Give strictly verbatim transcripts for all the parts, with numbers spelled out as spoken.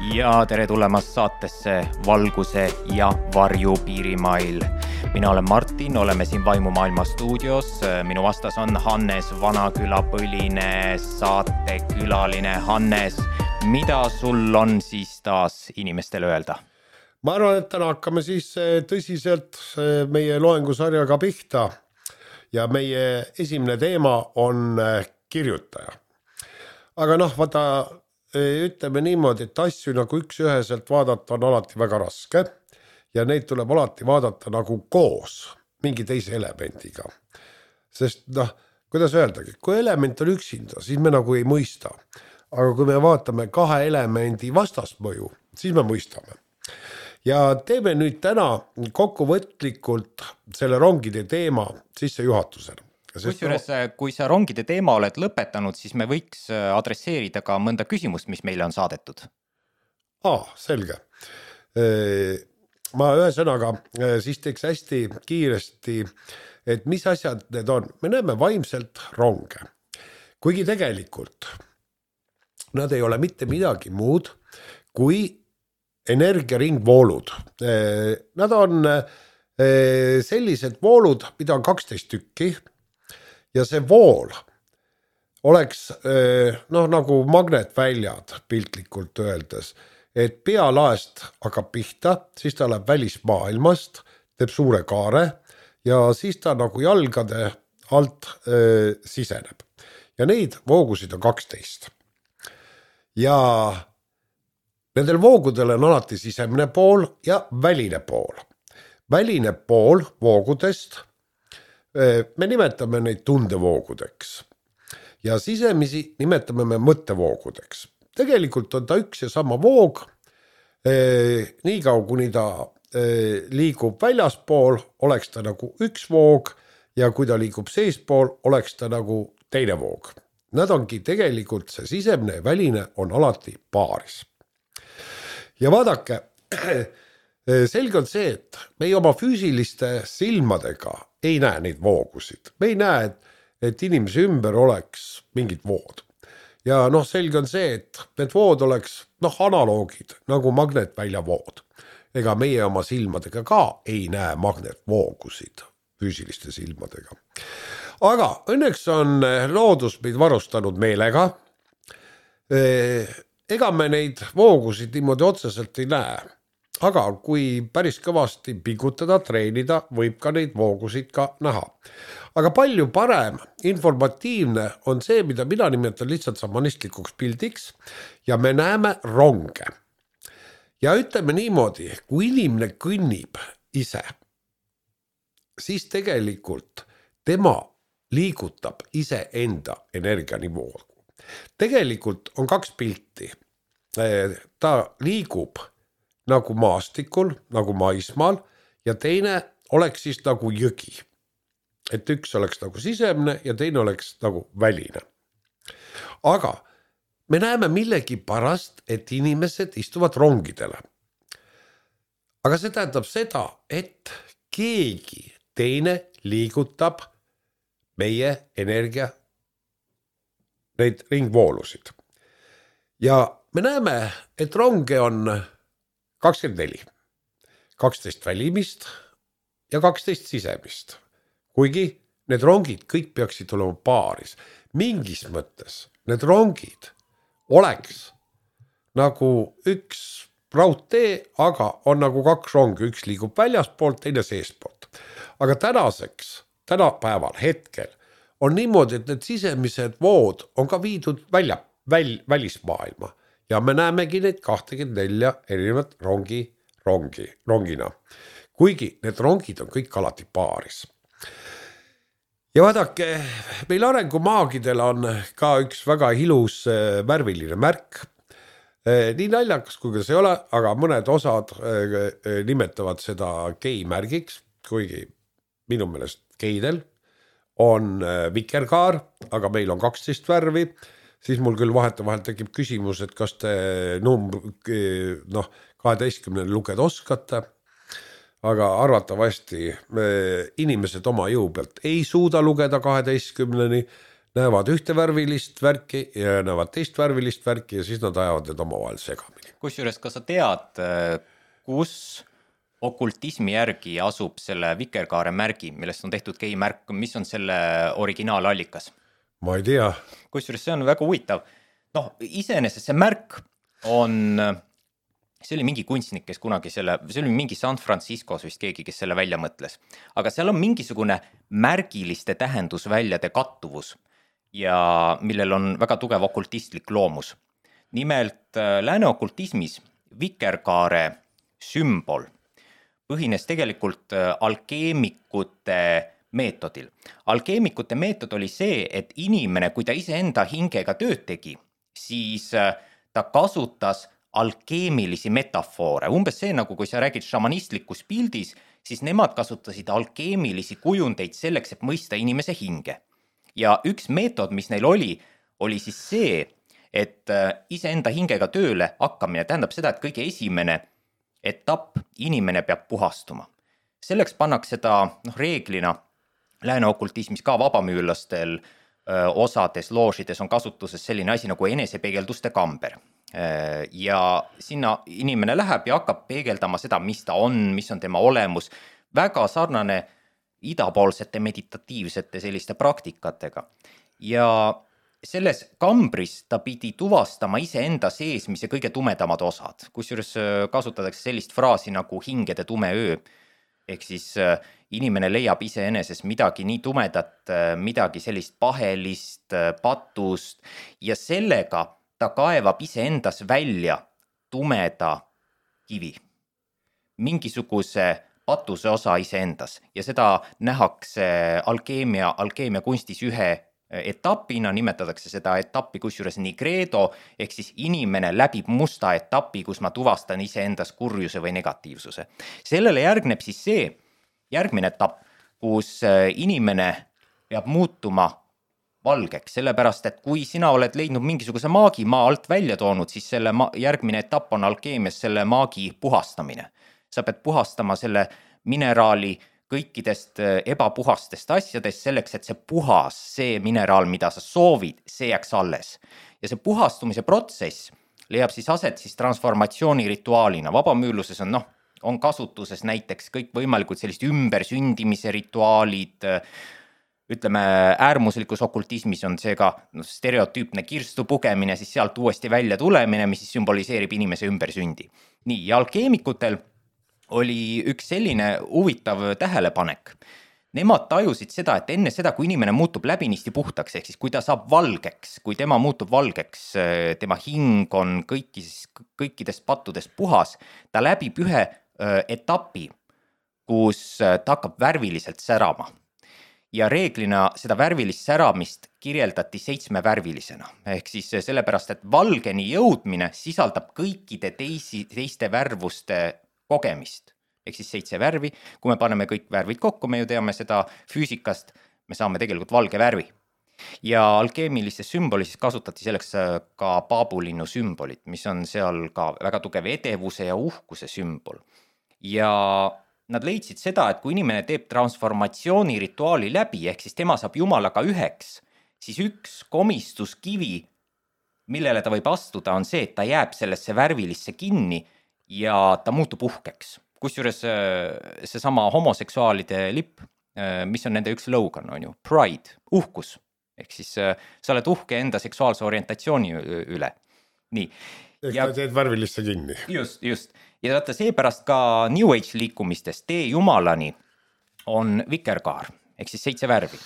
Ja tere tulemast saatesse Valguse ja varju piirimail. Mina olen Martin, oleme siin Vaimumaailma stuudios. Minu vastas on Hannes Vanaküla põline saatekülaline. Hannes, mida sul on siis taas inimestele öelda? Ma arvan, et täna hakkame siis tõsiselt meie loengusarjaga pihta ja meie esimene teema on kirjutaja. Aga noh, vaata, ütleme niimoodi, et asju nagu üks üheselt vaadata on alati väga raske ja neid tuleb alati vaadata nagu koos mingi teise elemendiga. Sest noh, kuidas öeldagi, kui element on üksinda, siis me nagu ei mõista. Aga kui me vaatame kahe elemendi vastasmõju, siis me mõistame. Ja teeme nüüd täna kokkuvõtlikult selle rongide teema sisse juhatusena. Kusjuures, kui sa rongide teema oled lõpetanud, siis me võiks adresseerida ka mõnda küsimust, mis meile on saadetud. Aa, selge. Ma ühe sõnaga siis teeks hästi kiiresti, et mis asjad need on. Me näeme vaimselt ronge. Kuigi tegelikult nad ei ole mitte midagi muud kui energiaringvoolud. Nad on sellised voolud, mida on kaksteist tükki ja see vool oleks noh, nagu magnetväljad piltlikult öeldes, et pealaest hakkab pihta, siis ta läheb välismaailmast, teeb suure kaare ja siis ta nagu jalgade alt äh, siseneb. Ja neid voogusid on kaksteist. Ja nendel voogudel on alati sisemine pool ja väline pool. Väline pool voogudest, me nimetame neid tundevoogudeks ja sisemisi nimetame me mõttevoogudeks. Tegelikult on ta üks ja sama voog, nii kaua kuni ta liigub väljaspool, oleks ta nagu üks voog ja kui ta liigub seespool, oleks ta nagu teine voog. Nad ongi tegelikult, see sisemine ja väline on alati paaris. Ja vaadake, selge on see, et me ei oma füüsiliste silmadega ei näe neid voogusid. Me ei näe, et, et inimese ümber oleks mingid vood. Ja noh, selge on see, et need vood oleks noh, analoogid nagu magnetvälja vood. Ega meie oma silmadega ka ei näe magnetvoogusid füüsiliste silmadega. Aga õnneks on loodus meid varustanud meelega. Ega me neid voogusid niimoodi otseselt ei näe, aga kui päris kõvasti pingutada, treenida, võib ka neid voogusid ka näha. Aga palju parem, informatiivne on see, mida mina nimetan lihtsalt samanistlikuks pildiks ja me näeme ronge. Ja ütleme niimoodi, kui inimene kõnnib ise, siis tegelikult tema liigutab ise enda energianivoogu. Tegelikult on kaks pilti. Ta liigub nagu maastikul, nagu maismaal ja teine oleks siis nagu jõgi. Et üks oleks nagu sisemne ja teine oleks nagu väline. Aga me näeme millegi pärast, et inimesed istuvad rongidele. Aga see tähendab seda, et keegi teine liigutab meie energia neid ringvoolusid. Ja me näeme, et ronge on kakskümmend neli. kaksteist välimist ja kaksteist sisemist. Kuigi need rongid kõik peaksid olema paaris. Mingis mõttes need rongid oleks nagu üks raudtee, aga on nagu kaks rongi. Üks liigub väljaspoolt, teine seespoolt. Aga tänaseks, tänapäeval, hetkel on niimoodi, et need sisemised vood on ka viidud välja, väl, välismaailma ja me näemegi neid kakskümmend neli erinevat rongi, rongi, rongina. Kuigi need rongid on kõik alati paaris. Ja vaadake, meil arengumaagidel on ka üks väga ilus värviline märk. Nii naljakas kui see ei ole, aga mõned osad nimetavad seda gei-märgiks, kuigi minu meelest geidel on vikerkaar, aga meil on kaksteist värvi, siis mul küll vahet vahel tekib küsimus, et kas te numb, noh, kaheteistkümneni lugeda oskate, aga arvatavasti inimesed oma jõu pealt ei suuda lugeda kaheteistkümneni, näevad ühte värvilist värki ja näevad teist värvilist värki ja siis nad ajavad need omavahel segamini. Kusjuures, kas sa tead, kus okultismi järgi asub selle vikerkaare märgi, millest on tehtud G-märk, mis on selle originaalaalikas? Ma ei tea. Kusjuures see on väga huvitav. Noh, iseenesest see märk on, see oli mingi kunstnik, kes kunagi selle, see oli mingi San Franciscos vist keegi, kes selle välja mõtles. Aga seal on mingisugune märgiliste tähendusväljade kattuvus ja millel on väga tugev okultistlik loomus. Nimelt lääne okultismis vikerkaare sümbol põhines tegelikult alkeemikute meetodil. Alkeemikute meetod oli see, et inimene, kui ta iseenda hingega tööd tegi, siis ta kasutas alkeemilisi metafoore. Umbes see, nagu kui sa räägid šamanistlikus pildis, siis nemad kasutasid alkeemilisi kujundeid selleks, et mõista inimese hinge. Ja üks meetod, mis neil oli, oli siis see, et iseenda hingega tööle hakkamine tähendab seda, et kõige esimene etapp inimene peab puhastuma. Selleks pannakse seda noh, reeglina lääne okultismis ka vabamüülastel öö, osades loožides on kasutuses selline asi nagu enesepeegelduste kamber. Ja sinna inimene läheb ja hakkab peegeldama seda, mis ta on, mis on tema olemus. Väga sarnane idapoolsete meditatiivsete selliste praktikatega. Ja selles kambris ta pidi tuvastama iseenda seesmise kõige tumedamad osad, kusjuures kasutatakse sellist fraasi nagu hingede tume öö, ehk siis inimene leiab iseenesest midagi nii tumedat, midagi sellist pahelist, patust ja sellega ta kaevab iseendas välja tumeda kivi, mingisuguse patuse osa iseendas ja seda nähakse alkeemia, alkeemia kunstis ühe etapina, nimetatakse seda etappi kusjuures nigredo, ehk siis inimene läbib musta etappi, kus ma tuvastan iseendas kurjuse või negatiivsuse. Sellele järgneb siis see järgmine etapp, kus inimene peab muutuma valgeks, sellepärast et kui sina oled leidnud mingisuguse maagi maa alt välja toonud, siis selle ma- järgmine etapp on alkeemias selle maagi puhastamine. Sa pead puhastama selle mineraali kõikidest ebapuhastest asjadest selleks, et see puhas, see mineraal, mida sa soovid, see jääks alles. Ja see puhastumise protsess leiab siis aset siis transformatsiooni rituaalina. Vabamüürluses on, noh, on kasutuses näiteks kõik võimalikud sellist ümbersündimise rituaalid, ütleme äärmuslikus okultismis on see ka no, stereotüüpne kirstu pugemine, siis sealt uuesti välja tulemine, mis siis sümboliseerib inimese ümbersündi. Nii, ja alkeemikutel oli üks selline huvitav tähelepanek. Nemad tajusid seda, et enne seda, kui inimene muutub läbinisti puhtaks, ehk siis kui ta saab valgeks, kui tema muutub valgeks, tema hing on kõikis, kõikidest pattudest puhas, ta läbib ühe etapi, kus ta hakkab värviliselt särama. Ja reeglina seda värvilist säramist kirjeldati seitsmevärvilisena. Ehk siis sellepärast, et valgeni jõudmine sisaldab kõikide teisi, teiste värvuste kogemist, ehk siis seitse värvi. Kui me paneme kõik värvid kokku, me ju teame seda füüsikast, me saame tegelikult valge värvi. Ja alkeemilistes sümbolis kasutati selleks ka paabulinnu sümbolit, mis on seal ka väga tugev edevuse ja uhkuse sümbol. Ja nad leidsid seda, et kui inimene teeb transformatsiooni rituaali läbi, ehk siis tema saab Jumalaga üheks, siis üks komistuskivi, millele ta võib astuda, on see, et ta jääb sellesse värvilisse kinni ja ta muutub uhkeks. Kusjuures see sama homoseksuaalide lipp, mis on nende üks slogan, on ju, pride, uhkus. Ehk siis sa oled uhke enda seksuaalse orientatsiooni üle. Nii. Ehk ja, ta teed värvilisse kinni. Just, just. Ja vaata seepärast ka New Age liikumistes tee Jumalani on vikerkaar. Ehk siis seitse värvi.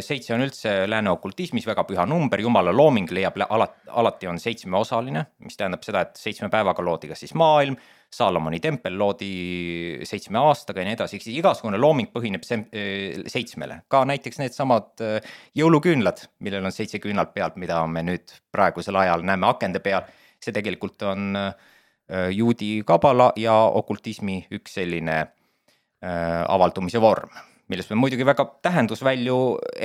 Seitse on üldse lääne okultismis väga püha number, Jumala looming leiab alati on seitsmeosaline, mis tähendab seda, et seitsme päevaga loodi ka siis maailm, Saalomoni tempel loodi seitsme aastaga ja nii edasi, siis igasugune looming põhineb seitsmele. Ka näiteks need samad jõuluküünlad, millel on seitse küünlalt pealt, mida me nüüd praegusel ajal näeme akende peal, see tegelikult on juudi kabala ja okultismi üks selline avaldumise vorm, millest me muidugi väga tähendusvälju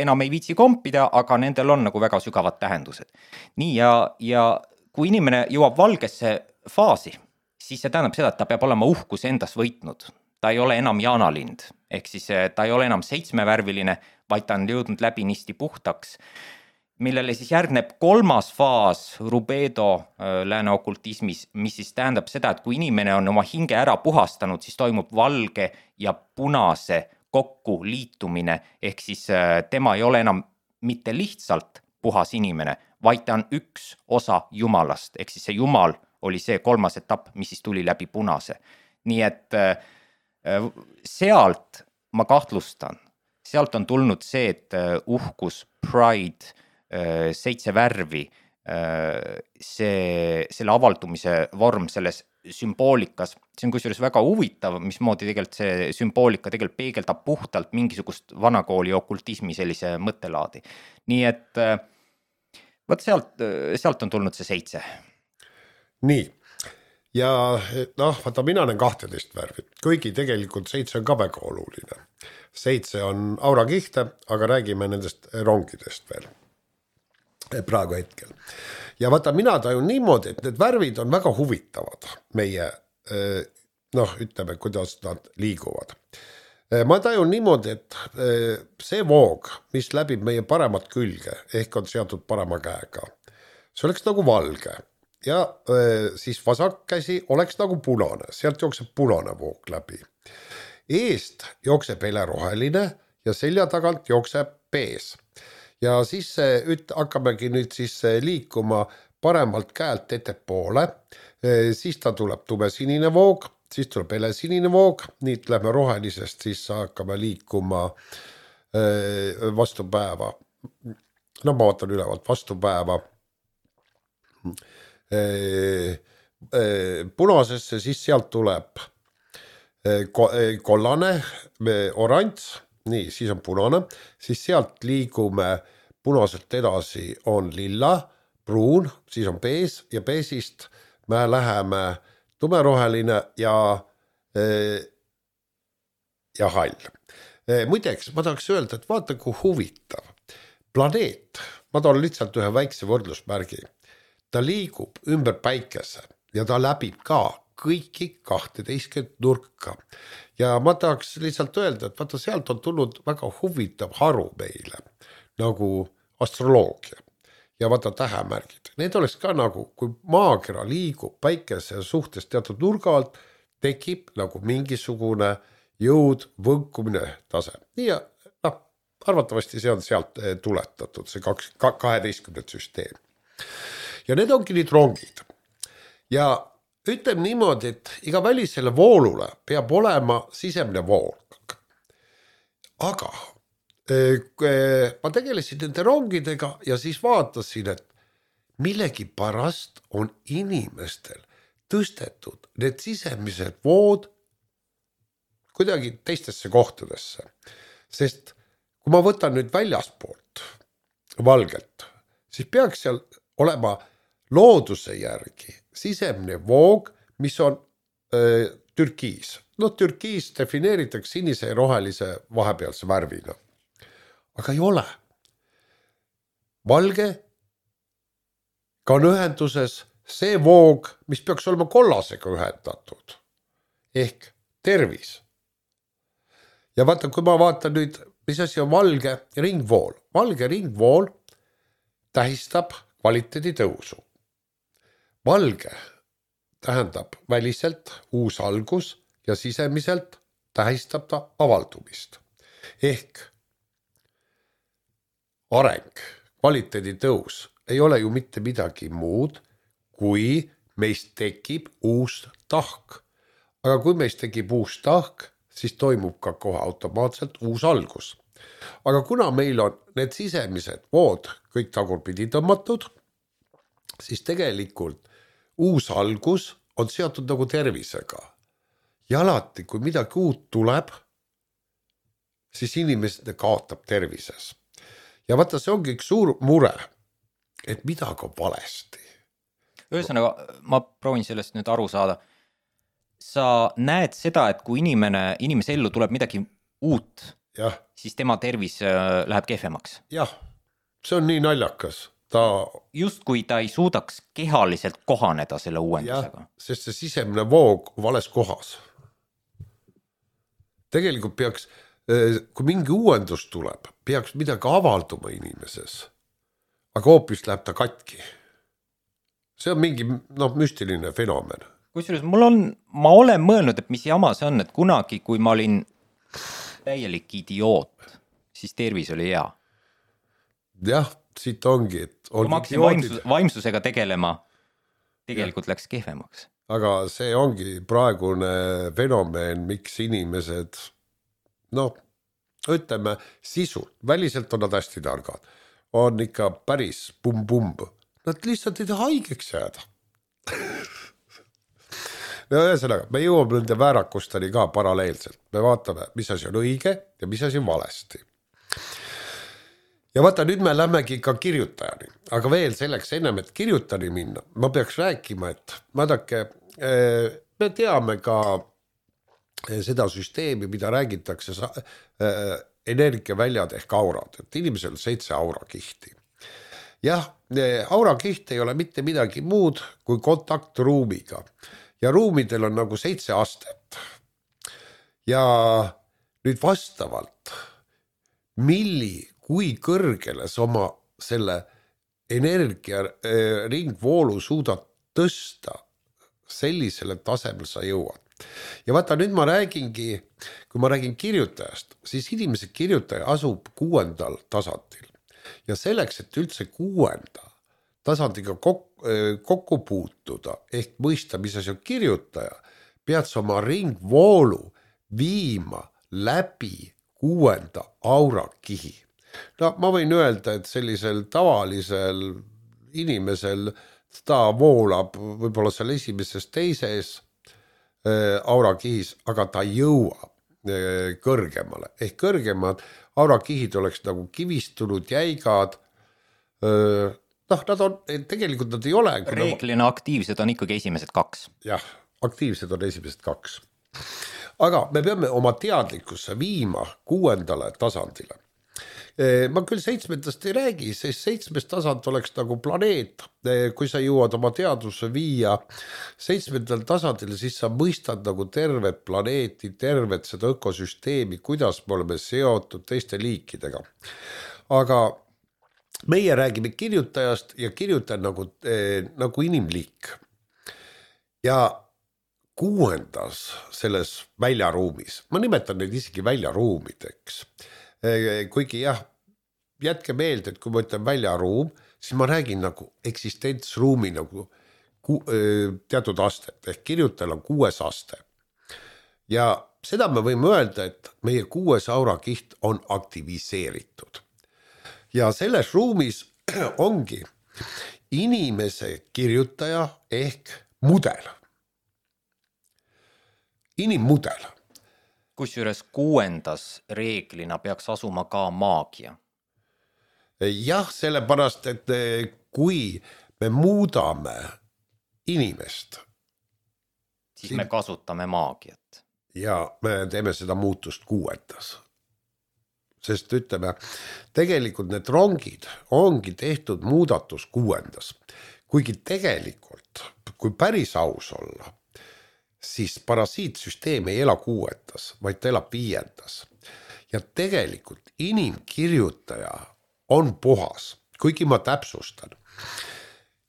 enam ei viitsi kompida, aga nendel on nagu väga sügavad tähendused. Nii ja, ja kui inimene jõuab valgesse faasi, siis see tähendab seda, et ta peab olema uhkus endas võitnud. Ta ei ole enam jaanalind, ehk siis ta ei ole enam seitsmevärviline, vaid ta on jõudnud läbinisti puhtaks. millele siis järgneb kolmas faas rubedo lääne okultismis, mis siis tähendab seda, et kui inimene on oma hinge ära puhastanud, siis toimub valge ja punase kokku liitumine, ehk siis tema ei ole enam mitte lihtsalt puhas inimene, vaid ta on üks osa Jumalast, ehk siis see Jumal oli see kolmas etapp, mis siis tuli läbi punase. Nii et sealt ma kahtlustan, sealt on tulnud see, et uhkus, pride, seitse värvi, see, selle avaldumise vorm selles sümboolikas, see on kusjuures väga huvitav, mismoodi tegelikult see sümboolika tegelikult peegeldab puhtalt mingisugust vanakooli okultismi sellise mõttelaadi. Nii et võt sealt, sealt on tulnud see seitse. Nii, ja noh, vaata mina olen kahteteist värvi, kuigi tegelikult seitse on ka väga oluline. Seitse on aurakihte, aga räägime nendest rongidest veel praegu hetkel. Ja vaata mina tajun niimoodi, et need värvid on väga huvitavad meie, noh, ütleme, kuidas nad liiguvad. Ma tajun niimoodi, et see voog, mis läbib meie paremat külge, ehk on seatud parema käega, see oleks nagu valge. Ja siis vasak käsi oleks nagu punane, sealt jookseb punane voog läbi. Eest jookseb heleroheline ja selja tagant jookseb pees. Ja siis üt, hakkamegi nüüd siis liikuma paremalt käelt ettepoole, siis ta tuleb tumesinine voog, siis tuleb helesinine voog, nii lähme rohelisest, siis hakkame liikuma vastu päeva. No ma vaatan ülevalt vastu päeva. Punasesse, siis sealt tuleb kollane, oranž, nii, siis on punane, siis sealt liigume punaselt edasi on lilla, pruun, siis on pees ja peesist me läheme tumeroheline ja, ja hall. Muideks, ma tahaks öelda, et vaata kui huvitav. Planeet, ma toon lihtsalt ühe väikse võrdlusmärgi. Ta liigub ümber päikese ja ta läbib ka kõiki kahteteistkümmet nurka. Ja ma tahaks lihtsalt öelda, et vaata sealt on tulnud väga huvitav haru meile, nagu astroloogia ja vaata tähemärgid. Need oleks ka nagu, kui maakera liigub päikese suhtes teatud nurga alt, tekib nagu mingisugune jõud, võnkumine tase. Nii ja noh, arvatavasti see on sealt tuletatud, see kaheteistkümnet süsteem. Ja need ongi nüüd rongid. Ja ütlem niimoodi, et iga välisele voolule peab olema sisemine vool. Aga ma tegelesin nende rongidega ja siis vaatasin, et millegi pärast on inimestel tõstetud need sisemised vood kuidagi teistesse kohtadesse. Sest kui ma võtan nüüd väljaspoolt valgelt, siis peaks seal olema looduse järgi sisemne voog, mis on öö, türkiis. No türkiis defineeritakse sinise ja rohelise vahepealse värvina. Aga ei ole. Valge ka on ühenduses see voog, mis peaks olema kollasega ühendatud. Ehk tervis. Ja vaata, kui ma vaatan nüüd, mis asi on valge ringvool. Valge ringvool tähistab kvaliteedi tõusu. Valge tähendab väliselt uus algus ja sisemiselt tähistab ta avaldumist. Ehk areng, kvaliteedi tõus ei ole ju mitte midagi muud, kui meist tekib uus tahk. Aga kui meist tekib uus tahk, siis toimub ka kohe automaatselt uus algus. Aga kuna meil on need sisemised vood kõik tagurpidi tõmmatud, siis tegelikult uus algus on seotud nagu tervisega. Ja alati, kui midagi uut tuleb, siis inimesed kaotab tervises. Ja vaata, see ongi üks suur mure, et midagi on valesti. Ühesõnaga, ma proovin sellest nüüd aru saada. Sa näed seda, et kui inimene, inimese ellu tuleb midagi uut, ja. Siis tema tervis läheb kehvemaks. Jah, see on nii naljakas. Ta... Just kui ta ei suudaks kehaliselt kohaneda selle uuendusega. Ja, sest see sisemine voog vales kohas. Tegelikult peaks, kui mingi uuendus tuleb, peaks midagi avalduma inimeses. aga hoopis läheb ta katki. See on mingi noh, müstiline fenomen. Kusjuures mul on, ma olen mõelnud, et mis jama see on, et kunagi, kui ma olin täielik idioot, siis tervis oli hea. Jah, siit ongi, et kui ma hakkasin vaimsus, vaimsusega tegelema, tegelikult ja. Läks kehvemaks. Aga see ongi praegune fenomen, miks inimesed, noh, ütleme sisult, väliselt on nad hästi targad, on ikka päris pum-pumb. Nad lihtsalt ei taha haigeks jääda. No ühesõnaga, me jõuame nende väärakusteni ka paralleelselt. Me vaatame, mis asi on õige ja mis asi on valesti. Ja vaata, nüüd me lähmegi ka kirjutajani. Aga veel selleks ennem, et kirjutajani minna, ma peaks rääkima, et vaadake, me teame ka seda süsteemi, mida räägitakse energiaväljad ehk aurad. Et inimesel on seitse aurakihti. Jah, aurakiht ei ole mitte midagi muud kui kontakt ruumiga. Ja ruumidel on nagu seitse astet. Ja nüüd vastavalt, milli, kui kõrgele sa oma selle energia ringvoolu suudad tõsta, sellisele tasemel sa jõuad. Ja vaata, nüüd ma räägingi, kui ma räägin kirjutajast, siis inimese kirjutaja asub kuuendal tasandil. Ja selleks, et üldse kuuenda tasandiga kokku, kokku puutuda, ehk mõista, mis asi on kirjutaja, pead sa oma ringvoolu viima läbi kuuenda aurakihi. No ma võin öelda, et sellisel tavalisel inimesel ta voolab võib-olla seal esimeses teises aurakihis, aga ta jõuab kõrgemale. Ehk kõrgemad aurakihid oleks nagu kivistunud, jäigad, noh, nad on, tegelikult nad ei ole. Reeglina aktiivsed on ikkagi esimesed kaks. Jah, aktiivsed on esimesed kaks. Aga me peame oma teadlikkusse viima kuuendale tasandile. Ma küll seitsmendast ei räägi, sest seitsmest tasand oleks nagu planeet. Kui sa jõuad oma teadvusse viia seitsmendal tasandil, siis sa mõistad nagu tervet planeeti, tervet seda ökosüsteemi, kuidas me oleme seotud teiste liikidega. Aga meie räägime kirjutajast ja kirjutaja nagu, eh, nagu inimliik. Ja kuuendas selles väljaruumis, ma nimetan neid isegi väljaruumideks, eh, kuigi jah, jätke meelde, et kui ma ütlen väljaruum, siis ma räägin nagu eksistentsruumi nagu ku, eh, teatud astet, ehk kirjutajal on kuues aste. Ja seda me võime öelda, et meie kuues aurakiht on aktiviseeritud. Ja selles ruumis ongi inimese kirjutaja ehk mudel. Inimmudel. Kusjuures kuuendas reeglina peaks asuma ka maagia. Jah, sellepärast, et kui me muudame inimest, siis siin... me kasutame maagiat. Ja me teeme seda muutust kuuendas. Sest ütleme, tegelikult need rongid ongi tehtud muudatus kuuendas. Kuigi tegelikult, kui päris aus olla, siis parasiitsüsteem ei ela kuuendas, vaid ta elab viiendas. Ja tegelikult inimkirjutaja on puhas, kuigi ma täpsustan.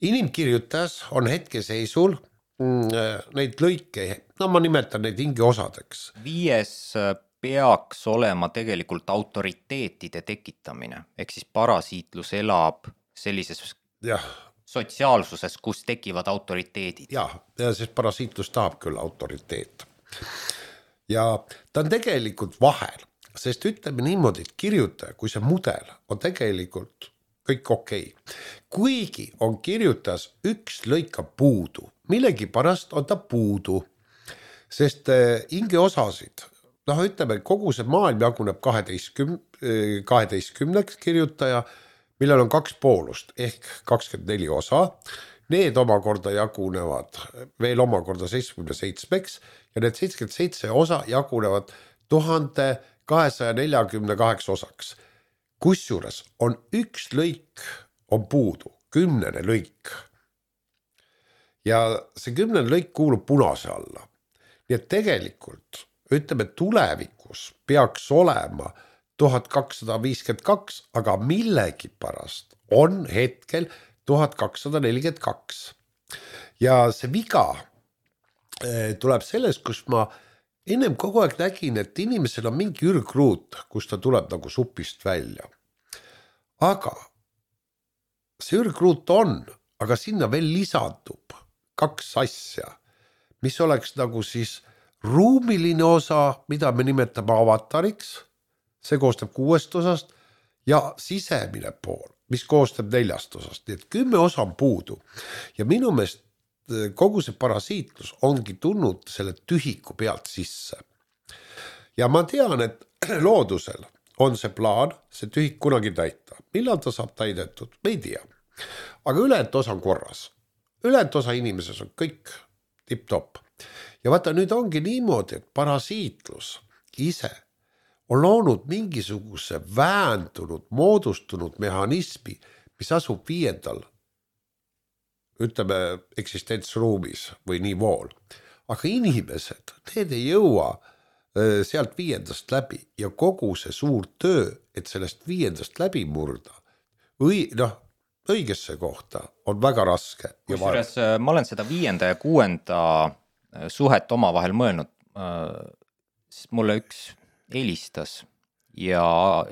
Inimkirjutajas on hetkeseisul neid lõike, no ma nimetan neid hingeosadeks. Viies peaks olema tegelikult autoriteetide tekitamine, ehk siis parasiitlus elab sellises ja. sotsiaalsuses, kus tekivad autoriteedid. Jah, sest parasiitlus tahab küll autoriteet. Ja ta on tegelikult vahel, sest ütleme niimoodi, et kirjutaja, kui see mudel on tegelikult kõik okei. Kuigi on kirjutas üks lõika puudu, millegi pärast on ta puudu, sest hingeosasid, noh, ütleme, kogu see maailm jaguneb kaheteistkümneks kirjutaja, millel on kaks poolust ehk kakskümmend neli osa. Need omakorda jagunevad veel omakorda seitsekümmend seitsmeks ja need seitsekümmend seitse osa jagunevad tuhat kahesaja nelikümmend kaheksa osaks. Kusjuures on üks lõik on puudu, kümnene lõik. Ja see kümnene lõik kuulub punase alla. Nii et tegelikult ütleme, tulevikus peaks olema tuhat kakssada viiskümmend kaks, aga millegipärast on hetkel tuhat kakssada nelikümmend kaks. Ja see viga tuleb sellest, kus ma ennem kogu aeg nägin, et inimesel on mingi ürgruut, kus ta tuleb nagu supist välja. Aga see ürgruut on, aga sinna veel lisandub kaks asja, mis oleks nagu siis ruumiline osa, mida me nimetame avatariks, see koostab kuuest osast, ja sisemine pool, mis koostab neljast osast, nii et kümme osa on puudu. Ja minu meelest kogu see parasiitlus ongi tulnud selle tühiku pealt sisse. Ja ma tean, et loodusel on see plaan, see tühik kunagi täita. Millal ta saab täidetud? Me ei tea. Aga ülejäänud osa on korras. Ülejäänud osa inimeses on kõik tip-top. Ja vaata, nüüd ongi niimoodi, et parasiitlus ise on loonud mingisuguse väändunud, moodustunud mehhanismi, mis asub viiendal, ütleme, eksistentsruumis või nivool. Aga inimesed, need ei jõua sealt viiendast läbi ja kogu see suur töö, et sellest viiendast läbi murda, või noh, õigesse kohta on väga raske. Kusjuures ma olen seda viienda ja kuuenda suhet omavahel mõelnud, siis mulle üks helistas ja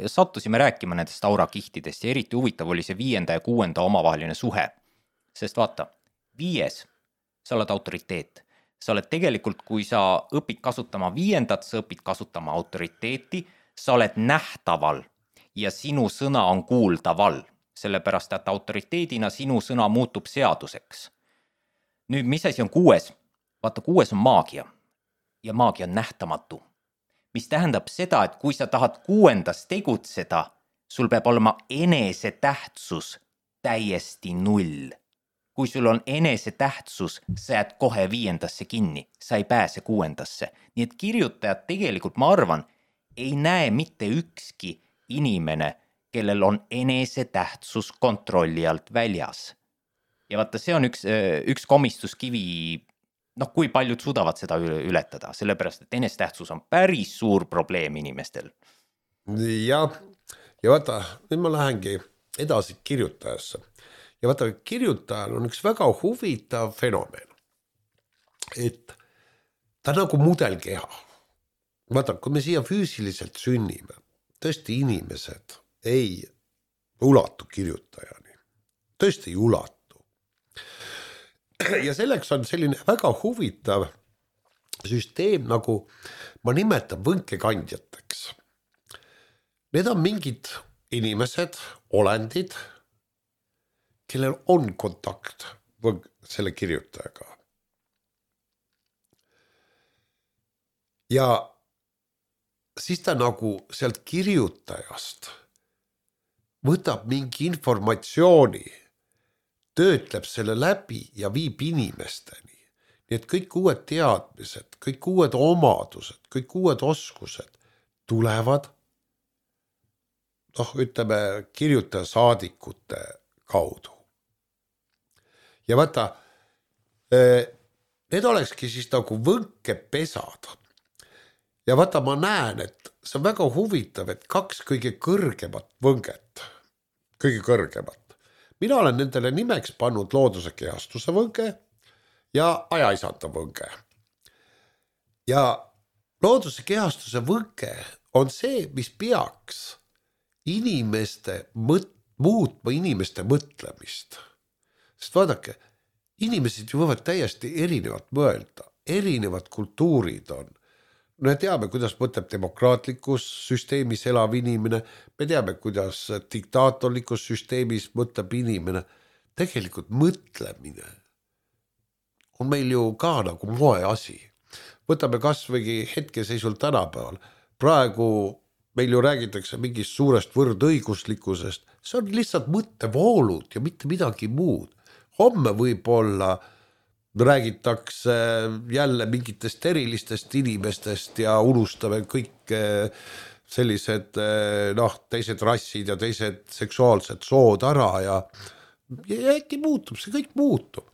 sattusime rääkima nendest aurakihtidest ja eriti huvitav oli see viienda ja kuuenda omavaheline suhe. Sest vaata, viies, sa oled autoriteet. Sa oled tegelikult, kui sa õpid kasutama viiendat, sa õpid kasutama autoriteeti, sa oled nähtaval ja sinu sõna on kuuldaval, sellepärast et autoriteedina sinu sõna muutub seaduseks. Nüüd, mis asi on kuues? Vaata, kuues on maagia ja maagia on nähtamatu, mis tähendab seda, et kui sa tahad kuuendas tegutseda, sul peab olema enese tähtsus täiesti null. Kui sul on enese tähtsus, sa jääd kohe viiendasse kinni, sa ei pääse kuuendasse. Nii et kirjutajad tegelikult, ma arvan, ei näe mitte ükski inimene, kellel on enese tähtsus kontrolli alt väljas. Ja vaata, see on üks, üks komistuskivi, noh, kui paljud suudavad seda ületada, sellepärast, et enesetähtsus on päris suur probleem inimestel. Ja, ja vaata, nüüd ma lähengi edasi kirjutajasse. Ja vaata, kirjutajal on üks väga huvitav fenomen, et ta nagu mudelkeha. Vaata, kui me siia füüsiliselt sünnime, tõesti inimesed ei ulatu kirjutajani. Tõesti ei ulatu. Ja selleks on selline väga huvitav süsteem, nagu ma nimetan võnkekandjateks. Need on mingid inimesed, olendid, kellel on kontakt selle kirjutajaga. Ja siis ta nagu sealt kirjutajast võtab mingi informatsiooni, töötleb selle läbi ja viib inimesteni. Nii et kõik uued teadmised, kõik uued omadused, kõik uued oskused tulevad, noh, ütleme, kirjutaja saadikute kaudu. Ja vaata, need olekski siis nagu võnkepesad. Ja vaata, ma näen, et see on väga huvitav, et kaks kõige kõrgemat võnget, kõige kõrgemat. Mina olen nendele nimeks pannud looduse kehastuse võnge ja ajaisanda võnge. Ja looduse kehastuse võnge on see, mis peaks inimeste mõt- muutma inimeste mõtlemist. Sest vaadake, inimesed ju võivad täiesti erinevat mõelda, erinevad kultuurid on. Me teame, kuidas mõtleb demokraatlikus süsteemis elav inimene, me teame, kuidas diktaatorlikus süsteemis mõtleb inimene. Tegelikult mõtlemine on meil ju ka nagu moe asi. Võtame kas või hetkeseisul tänapäeval. Praegu meil ju räägitakse mingist suurest võrdõiguslikkusest. See on lihtsalt mõttevoolud ja mitte midagi muud. Homme võib-olla räägitakse jälle mingitest erilistest inimestest ja unustame kõik sellised noh, teised rassid ja teised seksuaalsed sood ära ja, ja äkki muutub, see kõik muutub.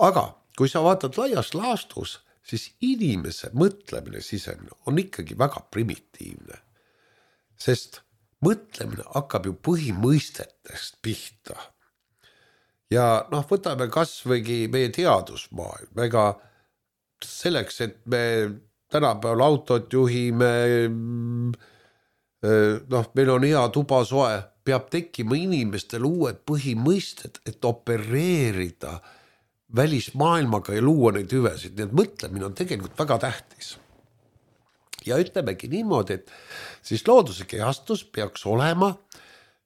Aga kui sa vaatad laias laastus, siis inimese mõtlemine sisemine on ikkagi väga primitiivne. sest mõtlemine hakkab ju põhimõistetest pihta. Ja noh, võtame kas võigi meie teadusmaailm, ega selleks, et me tänapäeval autot juhime, noh, meil on hea tuba soe, peab tekkima inimestel uued põhimõisted, et opereerida välismaailmaga ja luua neid hüvesid. Nii et mõtlemine on tegelikult väga tähtis. Ja ütlemegi niimoodi, et siis looduse kehastus peaks olema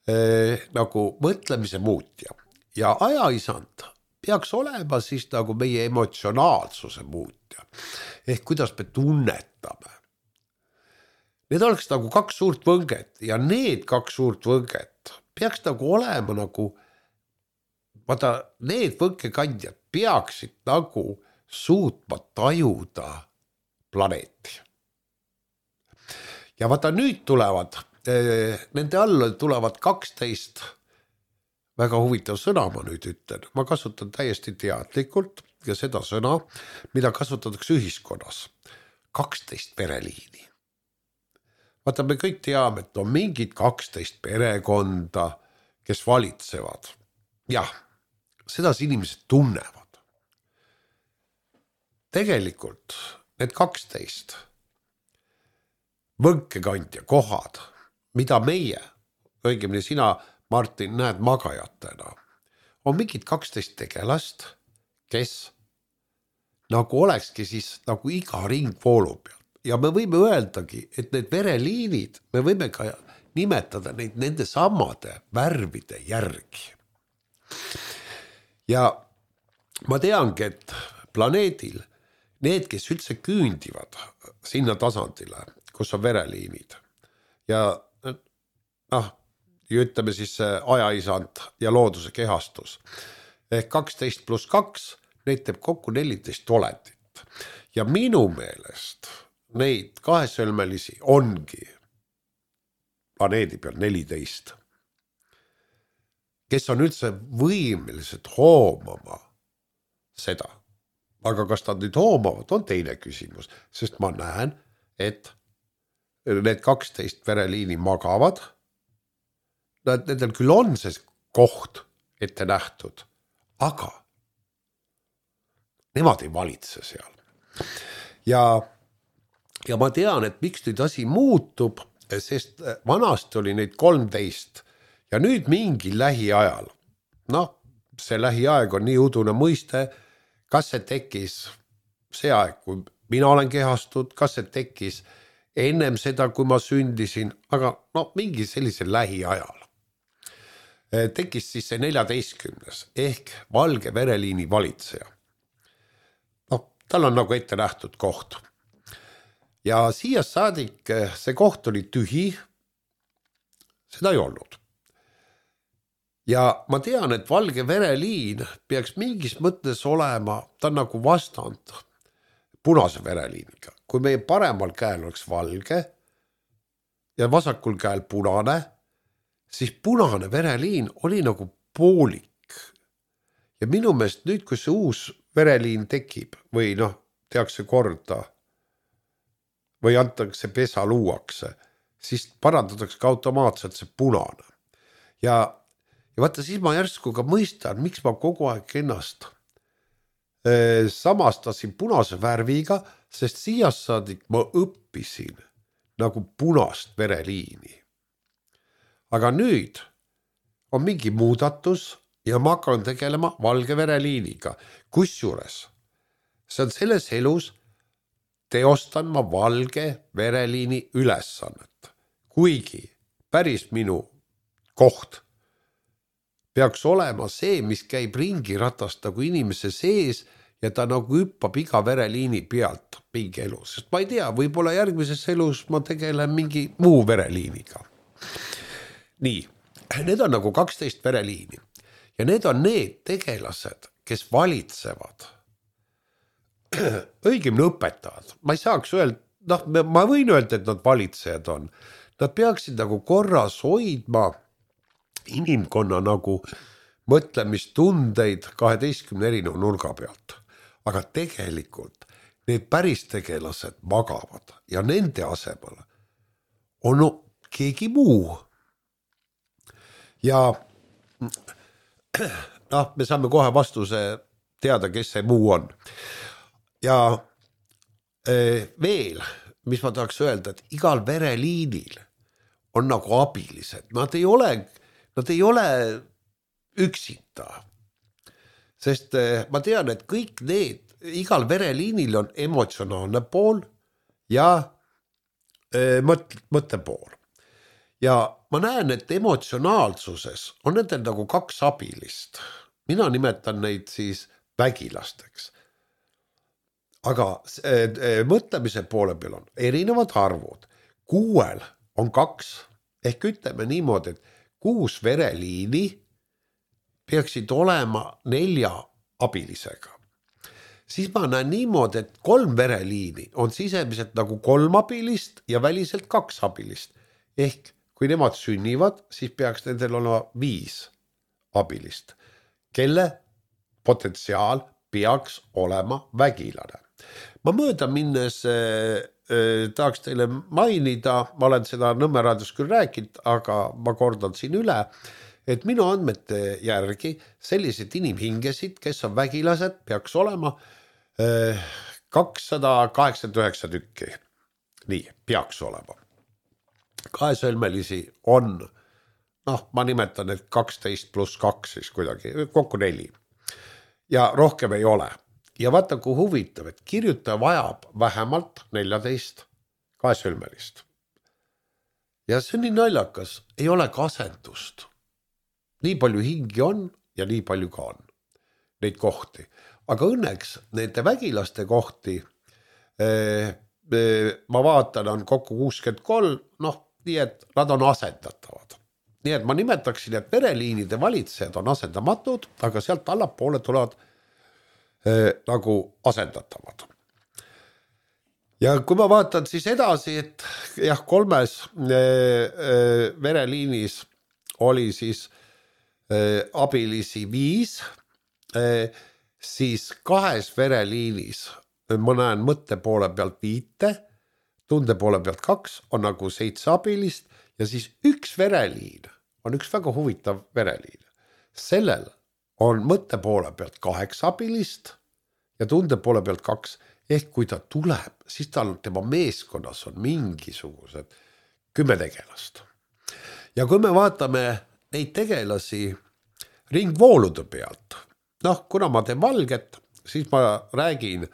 eh, nagu mõtlemise muutja. Ja ajaisand peaks olema siis nagu meie emotsionaalsuse muutja. Ehk kuidas me tunnetame. Need oleks nagu kaks suurt võnget ja need kaks suurt võnget peaks nagu olema nagu, vaata, need võnkekandjad peaksid nagu suutma tajuda planeeti. Ja vaata nüüd tulevad, nende alla tulevad kaksteist, väga huvitav sõna ma nüüd ütlen, ma kasutan täiesti teadlikult ja seda sõna, mida kasutatakse ühiskonnas, kaksteist pereliini. Vaata, me kõik teame, et on mingid kaksteist perekonda, kes valitsevad. Jah, seda inimesed tunnevad. Tegelikult need kaksteist võnkekandja kohad, mida meie, õigemini sina, Martin, näed magajatena, on mingid kaksteist tegelast, kes nagu olekski siis nagu iga ring voolu peal. Ja me võime öeldagi, et need vereliinid, me võime ka nimetada neid nende samade värvide järgi. Ja ma teangi, et planeedil need, kes üldse küündivad sinna tasandile, kus on vereliinid ja noh, ütleme siis ajaisand ja looduse kehastus ehk kaksteist pluss kaks, neid teeb kokku neliteist olendit ja minu meelest neid kahesõlmelisi ongi planeedi peal neliteist, kes on üldse võimelised hoomama seda. Aga kas nad nüüd hoomavad, on teine küsimus, sest ma näen, et need kaksteist vereliini magavad, nendel küll on see koht ette nähtud, aga nemad ei valitse seal. Ja Ja ma tean, et miks nüüd asi muutub, sest vanasti oli neid kolmteist ja nüüd mingi lähiajal. Noh, see lähiaeg on nii udune mõiste, kas see tekkis see aeg, kui mina olen kehastud, kas see tekkis ennem seda, kui ma sündisin, aga no mingi sellisel lähiajal. Tekkis siis see neljateistkümnes ehk valge vereliini valitseja. No, tal on nagu ette nähtud koht. Ja siia saadik see koht oli tühi, seda ei olnud. Ja ma tean, et valge vereliin peaks mingis mõttes olema, ta on nagu vastand punase vereliiniga. Kui meie paremal käel oleks valge ja vasakul käel punane, siis punane vereliin oli nagu poolik. Ja minu meelest nüüd, kui see uus vereliin tekib või noh, tehakse korda, või antakse pesa luuakse, siis parandatakse ka automaatselt see punane. Ja, ja vaata, siis ma järsku ka mõistan, miks ma kogu aeg ennast eh, samastasin punase värviga, sest siia saadik ma õppisin nagu punast vereliini. Aga nüüd on mingi muudatus ja ma hakkan tegelema valge vereliiniga. Kusjuures see on selles elus, teostan ma valge vereliini ülesannet, kuigi päris minu koht peaks olema see, mis käib ringi ratast nagu inimese sees ja ta nagu hüppab iga vereliini pealt mingi elu, sest ma ei tea, võib-olla järgmises elus ma tegelen mingi muu vereliiniga. Nii, need on nagu kaksteist vereliini ja need on need tegelased, kes valitsevad õigemini õpetajad. Ma ei saaks öelda, noh, ma võin öelda, et nad valitsejad on. Nad peaksid nagu korras hoidma inimkonna nagu mõtlemistundeid kaheteistkümne erineva nurga pealt. Aga tegelikult need päris tegelased magavad ja nende asemel on keegi muu. Ja noh, me saame kohe vastuse teada, kes see muu on. Ja veel, mis ma tahaks öelda, et igal vereliinil on nagu abilised. Nad ei ole, nad ei ole üksita. Sest ma tean, et kõik need, igal vereliinil on emotsionaalne pool ja mõt- mõttepool. Ja ma näen, et emotsionaalsuses on nendel nagu kaks abilist. Mina nimetan neid siis vägilasteks. Aga mõtlemise poole peal on erinevad arvud. Kuuel on kaks, ehk ütleme niimoodi, et kuus vereliini peaksid olema nelja abilisega. Siis ma näen niimoodi, et kolm vereliini on sisemiselt nagu kolm abilist ja väliselt kaks abilist. Ehk kui nemad sünnivad, siis peaks nendel olema viis abilist, kelle potentsiaal peaks olema vägilane. Ma mööda minnes äh, äh, tahaks teile mainida, ma olen seda Nõmme raadios küll rääkinud, aga ma kordan siin üle, et minu andmete järgi sellised inimhingesid, kes on vägilased, peaks olema äh, kakssada kaheksakümmend üheksa tükki. Nii, peaks olema. Kaesõlmelisi on, noh, ma nimetan, et kaksteist pluss kaks siis kuidagi, kokku neli. Ja rohkem ei ole. Ja vaata, kui huvitav, et kirjutaja vajab vähemalt neljateist kaesõlmelist. Ja see on nii naljakas, ei ole kasendust. Nii palju hingi on ja nii palju ka on neid kohti. Aga õnneks nende vägilaste kohti eh, eh, ma vaatan on kokku kuuskümmend kolm, noh, nii et nad on asendatavad. Nii et ma nimetaksin, et vereliinide valitsejad on asendamatud, aga sealt allapoole tulevad eh, nagu asendatavad. Ja kui ma vaatan siis edasi, et jah, kolmes eh, eh, vereliinis oli siis eh, abilisi viis, eh, siis kahes vereliinis ma näen mõtte poole pealt viite, tunde poole pealt kaks on nagu seitse abilist ja siis üks vereliin on üks väga huvitav vereliin. Sellel on mõtte poole pealt kaheksa abilist ja tunde poole pealt kaks. Ehk kui ta tuleb, siis tal tema meeskonnas on mingisugused kümme tegelast. Ja kui me vaatame neid tegelasi ringvoolude pealt, noh, kuna ma teen valget, siis ma räägin,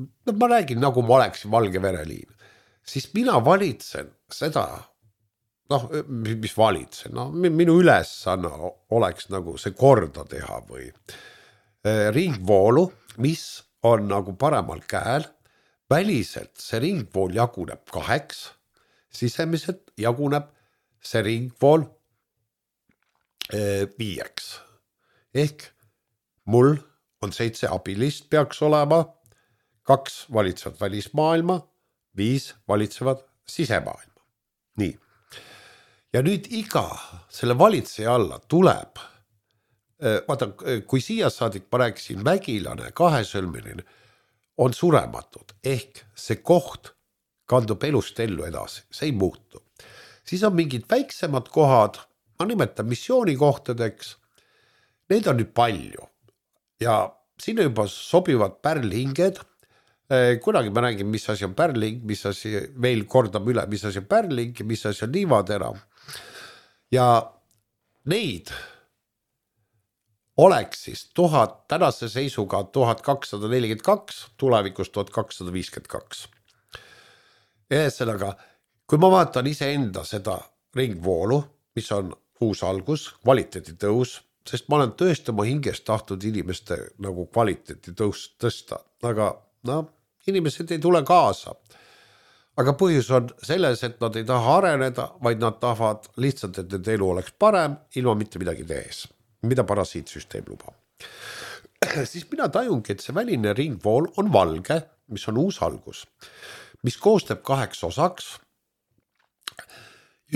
no ma räägin nagu ma oleksin valge vereliin, siis mina valitsen seda, noh, mis valitsen, no, minu ülesanne oleks nagu see korda teha või ringvoolu, mis on nagu paremal käel, väliselt see ringvool jaguneb kaheks, sisemiselt jaguneb see ringvool viieks. Ehk mul on seitse abilist peaks olema, kaks valitsevad välismaailma, viis valitsevad sisemaailma. Nii. Ja nüüd iga selle valitseja alla tuleb, vaata, kui siia saadik ma rääkisin vägilane, kahesõlmeline, on surematud, ehk see koht kandub elust ellu edasi, see ei muutu. Siis on mingid väiksemad kohad, ma nimetan missioonikohtadeks, neid on nüüd palju ja sinna juba sobivad pärlhinged, kunagi ma räägin, mis asi on pärlhing, mis asi veel kordam üle, mis asi on pärlhing ja mis asi on liivatera. Ja neid oleks siis tuhat, tänase seisuga tuhat kakssada nelikümmend kaks, tulevikus tuhat kakssada viiskümmend kaks. Ühesõnaga, kui ma vaatan iseenda seda ringvoolu, mis on uus algus, kvaliteedi tõus, sest ma olen tõesti oma hingest tahtnud inimeste nagu kvaliteedi tõus tõsta, aga no, inimesed ei tule kaasa. Aga põhjus on selles, et nad ei taha areneda, vaid nad tahavad lihtsalt, et nende elu oleks parem, ilma mitte midagi tehes, mida parasiitsüsteem lubab. Siis mina tajungi, et see väline ringvool on valge, mis on uus algus, mis koostab kaheks osaks.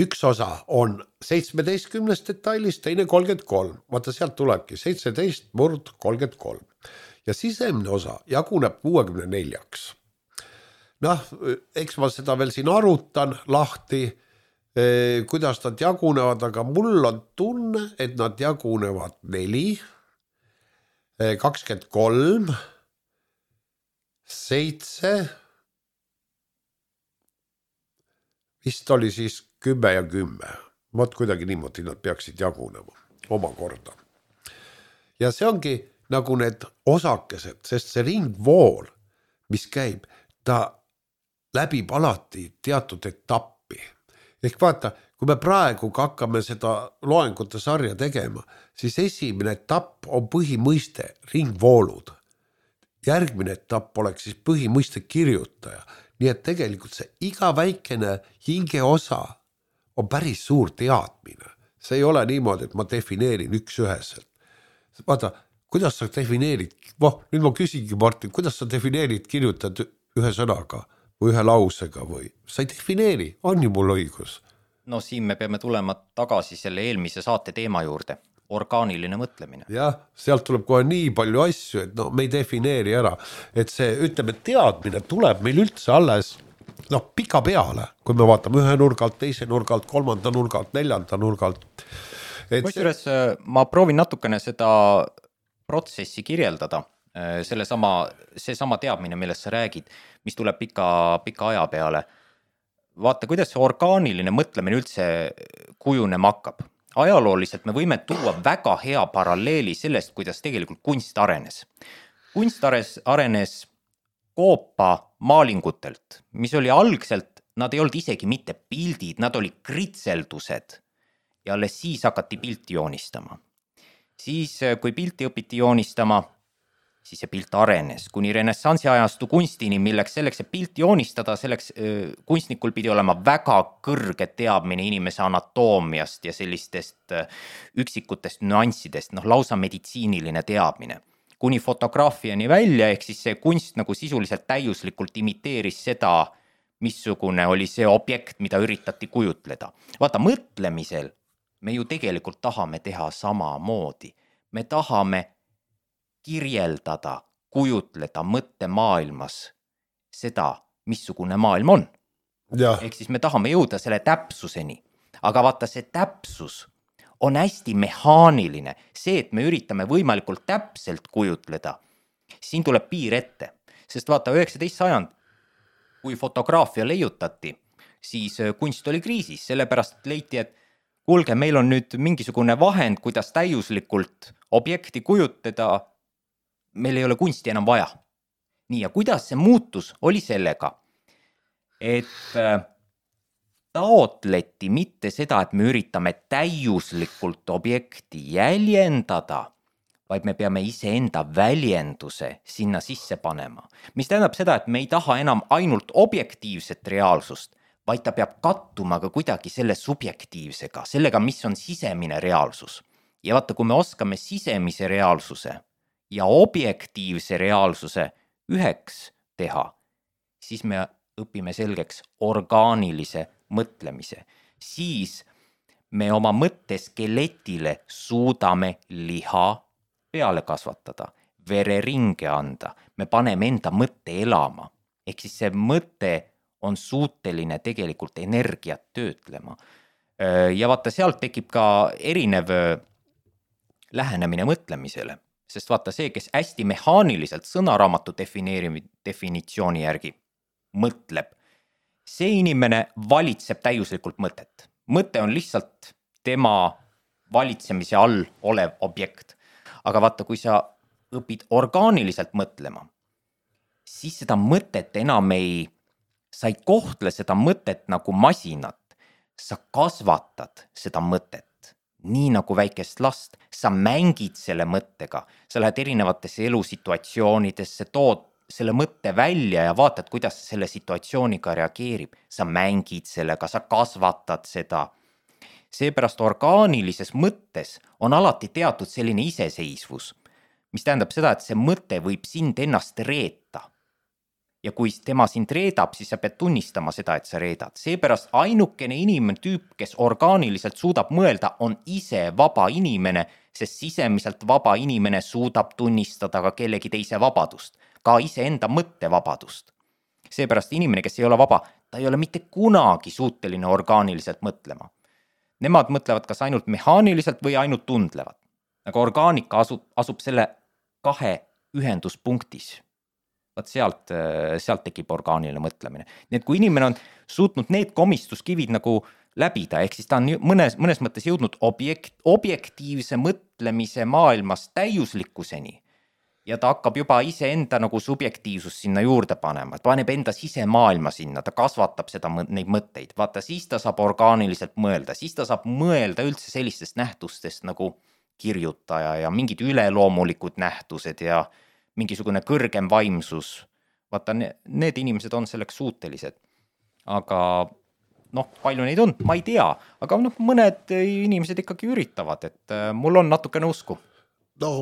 Üks osa on seitsmeteistkümnest detailist, teine kolmkümmend kolm. Vaata, sealt tulebki seitseteist murd kolmkümmend kolm. Ja sisemne osa jaguneb kuuekümne neljaks. Noh, eks ma seda veel siin arutan lahti, kuidas nad jagunevad, aga mul on tunne, et nad jagunevad neli, kakskümmend kolm, seitse, vist oli siis kümme ja kümme. Vot kuidagi niimoodi nad peaksid jagunema omakorda. Ja see ongi nagu need osakesed, sest see ringvool, mis käib, ta läbib alati teatud etappi. Ehk vaata, kui me praegu hakkame seda loengute sarja tegema, siis esimene etapp on põhimõiste ringvoolud. Järgmine etapp oleks siis põhimõiste kirjutaja. Nii et tegelikult see iga väikene hinge osa on päris suur teadmine. See ei ole niimoodi, et ma defineerin üks üheselt. Vaata, kuidas sa defineerid, voh, nüüd ma küsingi Martin, kuidas sa defineerid, kirjutad ühe sõnaga või ühe lausega või sa ei defineeri, on ju mul õigus? No siin me peame tulema tagasi selle eelmise saate teema juurde, orgaaniline mõtlemine. Jah, sealt tuleb kohe nii palju asju, et no me ei defineeri ära, et see, ütleme, teadmine tuleb meil üldse alles noh, pika peale, kui me vaatame ühe nurgalt, teise nurgalt, kolmanda nurgalt, neljanda nurgalt. Kusjuures see... ma proovin natukene seda protsessi kirjeldada, selle sama, see sama teadmine, millest sa räägid, mis tuleb pika, pika aja peale. Vaata, kuidas see orgaaniline mõtlemine üldse kujunema hakkab. Ajalooliselt me võime tuua väga hea paralleeli sellest, kuidas tegelikult kunst arenes. Kunst arenes koopa maalingutelt, mis oli algselt, nad ei olnud isegi mitte pildid, nad oli kritseldused ja alles siis hakati pilti joonistama. Siis, kui pilti õpiti joonistama, siis see pilt arenes kuni renessansi ajastu kunstini, milleks selleks, et pilti joonistada, selleks kunstnikul pidi olema väga kõrge teadmine inimese anatoomiast ja sellistest üksikutest nüanssidest, noh lausa meditsiiniline teadmine. Kuni fotograafiani välja, ehk siis see kunst nagu sisuliselt täiuslikult imiteeris seda, missugune oli see objekt, mida üritati kujutleda. Vaata, mõtlemisel me ju tegelikult tahame teha sama moodi. Me tahame kirjeldada, kujutleda mõttemaailmas seda, missugune maailm on. Ja. Ehk siis me tahame jõuda selle täpsuseni. Aga vaata, see täpsus on hästi mehaaniline. See, et me üritame võimalikult täpselt kujutleda, siin tuleb piir ette. Sest vaata, üheksateist sajand, kui fotograafia leiutati, siis kunst oli kriisis, sellepärast leiti, et kuulge, meil on nüüd mingisugune vahend, kuidas täiuslikult objekti kujutleda, meil ei ole kunsti enam vaja. Nii, ja kuidas see muutus oli sellega, et taotleti mitte seda, et me üritame täiuslikult objekti jäljendada, vaid me peame iseenda väljenduse sinna sisse panema. Mis tähendab seda, et me ei taha enam ainult objektiivset reaalsust, vaid ta peab kattuma ka kuidagi selle subjektiivsega, sellega, mis on sisemine reaalsus. Ja vaata, kui me oskame sisemise reaalsuse ja objektiivse reaalsuse üheks teha, siis me õpime selgeks orgaanilise mõtlemise. Siis me oma mõtteskeletile suudame liha peale kasvatada, vereringe anda, me paneme enda mõtte elama. Ehk siis see mõte on suuteline tegelikult energiat töötlema. Ja vaata, sealt tekib ka erinev lähenemine mõtlemisele. Sest vaata, see, kes hästi mehaaniliselt sõnaraamatu definitsiooni järgi mõtleb, see inimene valitseb täiuslikult mõtet. Mõte on lihtsalt tema valitsemise all olev objekt. Aga vaata, kui sa õpid orgaaniliselt mõtlema, siis seda mõtet enam ei, sa ei kohtle seda mõtet nagu masinat, sa kasvatad seda mõtet, nii nagu väikest last, sa mängid selle mõttega, sa lähed erinevatesse elusituatsioonidesse, tood selle mõtte välja ja vaatad, kuidas selle situatsiooniga reageerib, sa mängid sellega, sa kasvatad seda. Seepärast orgaanilises mõttes on alati teatud selline iseseisvus, mis tähendab seda, et see mõte võib sind ennast reeta. Ja kui tema sind reedab, siis sa pead tunnistama seda, et sa reedad. Seepärast ainukene inimene tüüp, kes orgaaniliselt suudab mõelda, on ise vaba inimene, sest sisemiselt vaba inimene suudab tunnistada ka kellegi teise vabadust, ka iseenda mõttevabadust. Seepärast inimene, kes ei ole vaba, ta ei ole mitte kunagi suuteline orgaaniliselt mõtlema. Nemad mõtlevad kas ainult mehaaniliselt või ainult tundlevad. Aga orgaanika asub, asub selle kahe ühenduspunktis. Vaat sealt, sealt tekib orgaaniline mõtlemine. Nii et kui inimene on suutnud need komistuskivid nagu läbida, ehk siis ta on mõnes, mõnes mõttes jõudnud objekt, objektiivse mõtlemise maailmas täiuslikkuseni ja ta hakkab juba ise enda nagu subjektiivsus sinna juurde panema, paneb enda sisemaailma sinna, ta kasvatab seda, neid mõtteid, vaata siis ta saab orgaaniliselt mõelda, siis ta saab mõelda üldse sellistest nähtustest nagu kirjutaja ja mingid üleloomulikud nähtused ja mingisugune kõrgem vaimsus. Vaata, need inimesed on selleks suutelised. Aga noh, palju neid on, ma ei tea, aga noh, mõned inimesed ikkagi üritavad, et mul on natukene usku. No,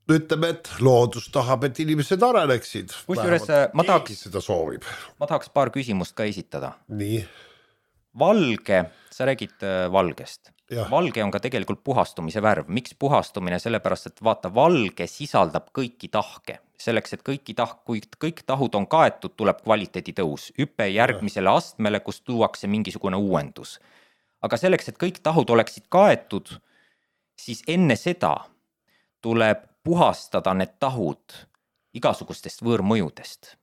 ütleme, et loodus tahab, et inimesed areneksid. Kusjuures ma tahaks, seda soovib. Ma tahaks paar küsimust ka esitada. Nii. Valge, sa räägid valgest. Ja. Valge on ka tegelikult puhastumise värv. Miks puhastumine? Sellepärast, et vaata, valge sisaldab kõiki tahke. Selleks, et kõiki tahk, kui kõik tahud on kaetud, tuleb kvaliteedi tõus. Hüpe järgmisele astmele, kus tuuakse mingisugune uuendus. Aga selleks, et kõik tahud oleksid kaetud, siis enne seda tuleb puhastada need tahud igasugustest võõrmõjudest.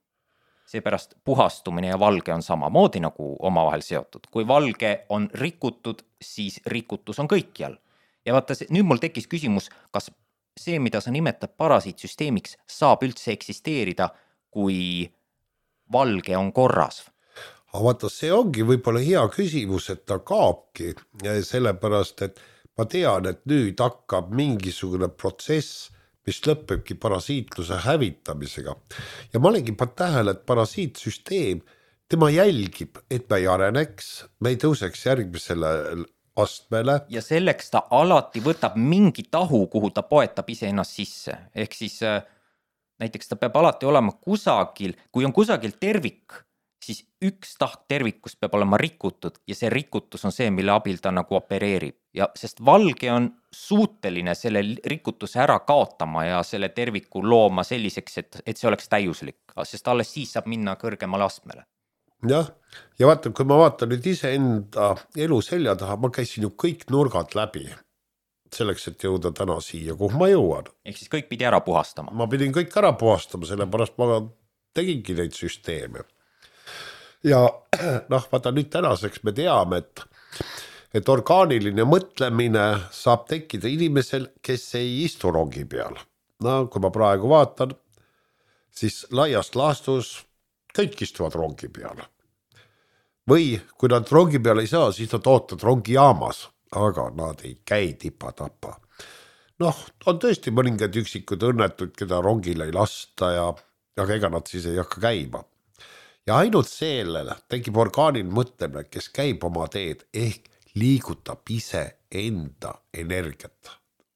Seepärast puhastumine ja valge on samamoodi nagu omavahel seotud. Kui valge on rikutud, siis rikutus on kõikjal. Ja vaata, nüüd mul tekkis küsimus, kas see, mida sa nimetad parasiitsüsteemiks, saab üldse eksisteerida, kui valge on korras? Aga vaata, see ongi võib-olla hea küsimus, et ta kaabki, sellepärast, et ma tean, et nüüd hakkab mingisugune protsess, mis lõpebki parasiitluse hävitamisega. Ja ma olengi pa tähele, et parasiitsüsteem, tema jälgib, et me ei areneks, me ei tõuseks järgmisele astmele. Ja selleks ta alati võtab mingi tahu, kuhu ta poetab ise ennast sisse. Ehk siis näiteks ta peab alati olema kusagil, kui on kusagil tervik, siis üks tahk tervikust peab olema rikutud ja see rikutus on see, mille abil ta nagu opereerib. Ja sest valge on suuteline selle rikutuse ära kaotama ja selle terviku looma selliseks, et, et see oleks täiuslik, sest alles siis saab minna kõrgemale astmele. Jah, ja vaata, kui ma vaatan nüüd ise enda elu selja taha, ma käisin ju kõik nurgad läbi selleks, et jõuda täna siia, kuhu ma jõuan. Ehk siis kõik pidi ära puhastama. Ma pidin kõik ära puhastama, sellepärast ma tegingi neid süsteeme. Ja noh, vaata nüüd tänaseks me teame, et, et orgaaniline mõtlemine saab tekkida inimesel, kes ei istu rongi peal. No, kui ma praegu vaatan, siis laiast laastus kõik istuvad rongi peal. Või kui nad rongi peal ei saa, siis nad ootavad rongi jaamas, aga nad ei käi tipa-tapa. Noh, on tõesti mõningad üksikud õnnetud, keda rongile ei lasta ja aga ega nad siis ei hakka käima. Ja ainult sellele tekib orgaaniline mõtlemine, kes käib oma teed ehk liigutab ise enda energiat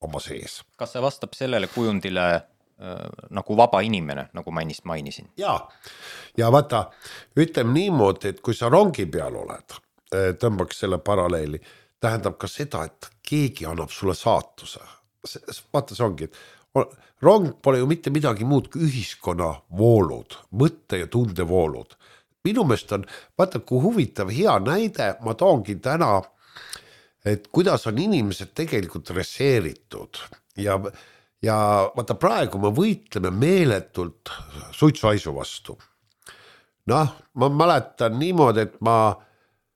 oma sees. Kas see vastab sellele kujundile äh, nagu vaba inimene, nagu ma ennist mainisin? Ja, ja vaata, ütleme niimoodi, et kui sa rongi peal oled, tõmbaks selle paralleeli, tähendab ka seda, et keegi annab sulle saatuse. Vaata, see ongi, et rong pole ju mitte midagi muud kui ühiskonna voolud, mõtte ja tunde voolud. Minu meelest on, vaata, kui huvitav hea näide, ma toongi täna, et kuidas on inimesed tegelikult reseeritud. Ja, ja vaata, praegu me võitleme meeletult suitsuhaisu vastu. Noh, ma mäletan niimoodi, et ma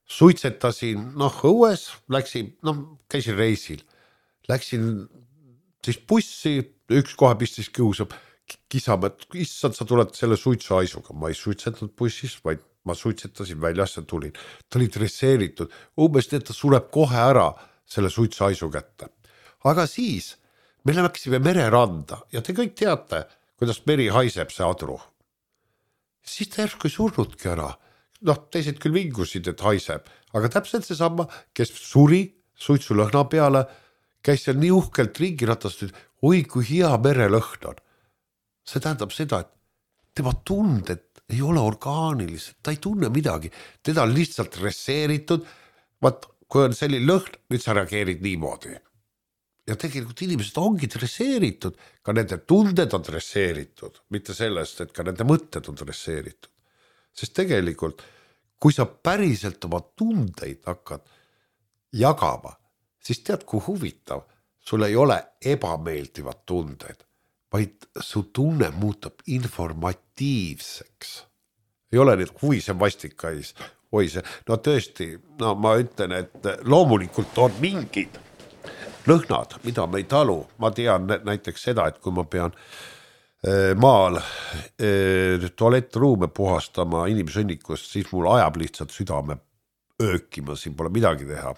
suitsetasin, noh, õues, läksin, noh, käisin reisil, läksin siis bussi, üks kohe pistis kiusab, kisama, et issand, sa tuled selle suitsuhaisuga. Ma ei suitsetanud bussis, vaid ma suitsetasin väljas ja tulin. Ta oli dresseeritud, umbes nii, et ta sureb kohe ära selle suitsuhaisu kätte. Aga siis me läksime mereranda ja te kõik teate, kuidas meri haiseb see adru. Siis ta järsku ei surnudki ära. Noh, teised küll vingusid, et haiseb, aga täpselt see sama, kes suri suitsulõhna peale, käis seal nii uhkelt ringi ratast, et oi, kui hea merelõhn on. See tähendab seda, et tema tunded ei ole orgaanilised, ta ei tunne midagi, teda on lihtsalt reseeritud, vaat, kui on selline lõhn, nüüd sa reageerid niimoodi. ja tegelikult inimesed ongi dresseeritud, ka nende tunded on dresseeritud, mitte sellest, et ka nende mõtted on dresseeritud. Sest tegelikult, kui sa päriselt oma tundeid hakkad jagama, siis tead, kui huvitav, sul ei ole ebameeldivad tunded, vaid su tunne muutub informatiivseks. Ei ole nüüd huvi see vastikais, oi see, no tõesti, no ma ütlen, et loomulikult on mingid lõhnad, mida me ei talu. Ma tean näiteks seda, et kui ma pean maal tualettruume puhastama inimsõnnikust, siis mul ajab lihtsalt südame öökima, siin pole midagi teha.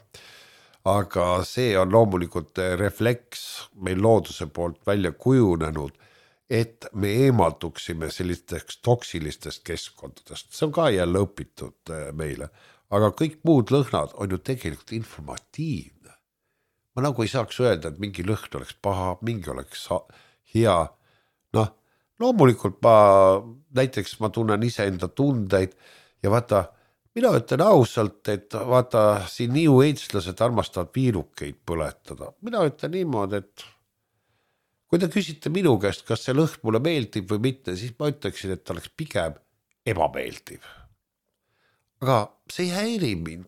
Aga see on loomulikult refleks meil looduse poolt välja kujunenud, et me eemalduksime sellisteks toksilistest keskkondadest. See on ka jälle õpitud meile. Aga kõik muud lõhnad on ju tegelikult informatiivne. Ma nagu ei saaks öelda, et mingi lõhn oleks paha, mingi oleks hea. Noh, loomulikult ma, näiteks ma tunnen ise enda tundeid ja vaata, mina ütlen ausalt, et vaata, siin New Age-lased armastavad viirukeid põletada. Mina ütlen niimoodi, et kui te küsite minu käest, kas see lõhn mulle meeldib või mitte, siis ma ütleksin, et ta oleks pigem ebameeldiv. Aga see ei häiri mind,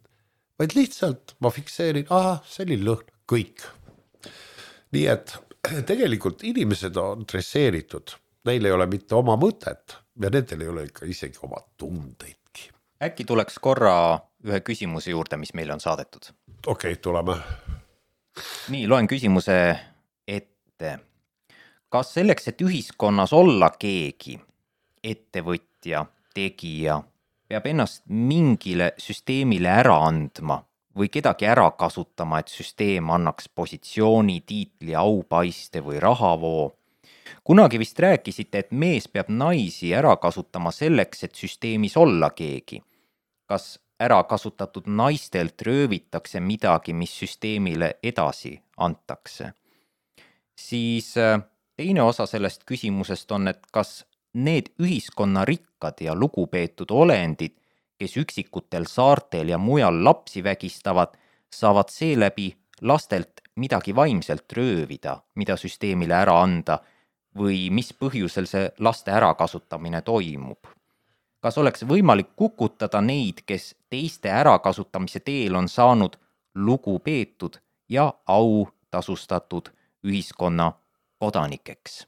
vaid lihtsalt ma fikseerin, aha, selline lõhn, kõik. Nii et tegelikult inimesed on dresseeritud, neil ei ole mitte oma mõtet ja nendel ei ole ikka isegi oma tundeidki. Äkki tuleks korra ühe küsimuse juurde, mis meile on saadetud? Okei, okay, tuleme. Nii, loen küsimuse ette. Kas selleks, et ühiskonnas olla keegi, ettevõtja, tegija, peab ennast mingile süsteemile ära andma või kedagi ära kasutama, et süsteem annaks positsiooni, tiitli, aupaiste või rahavoo? Kunagi vist rääkisite, et mees peab naisi ära kasutama selleks, et süsteemis olla keegi. Kas ära kasutatud naistelt röövitakse midagi, mis süsteemile edasi antakse? Siis teine osa sellest küsimusest on, et kas need ühiskonna rikkad ja lugupeetud olendid, kes üksikutel saartel ja mujal lapsi vägistavad, saavad seeläbi lastelt midagi vaimselt röövida, mida süsteemile ära anda, või mis põhjusel see laste ärakasutamine toimub. Kas oleks võimalik kukutada neid, kes teiste ärakasutamise teel on saanud lugupeetud ja au tasustatud ühiskonna kodanikeks?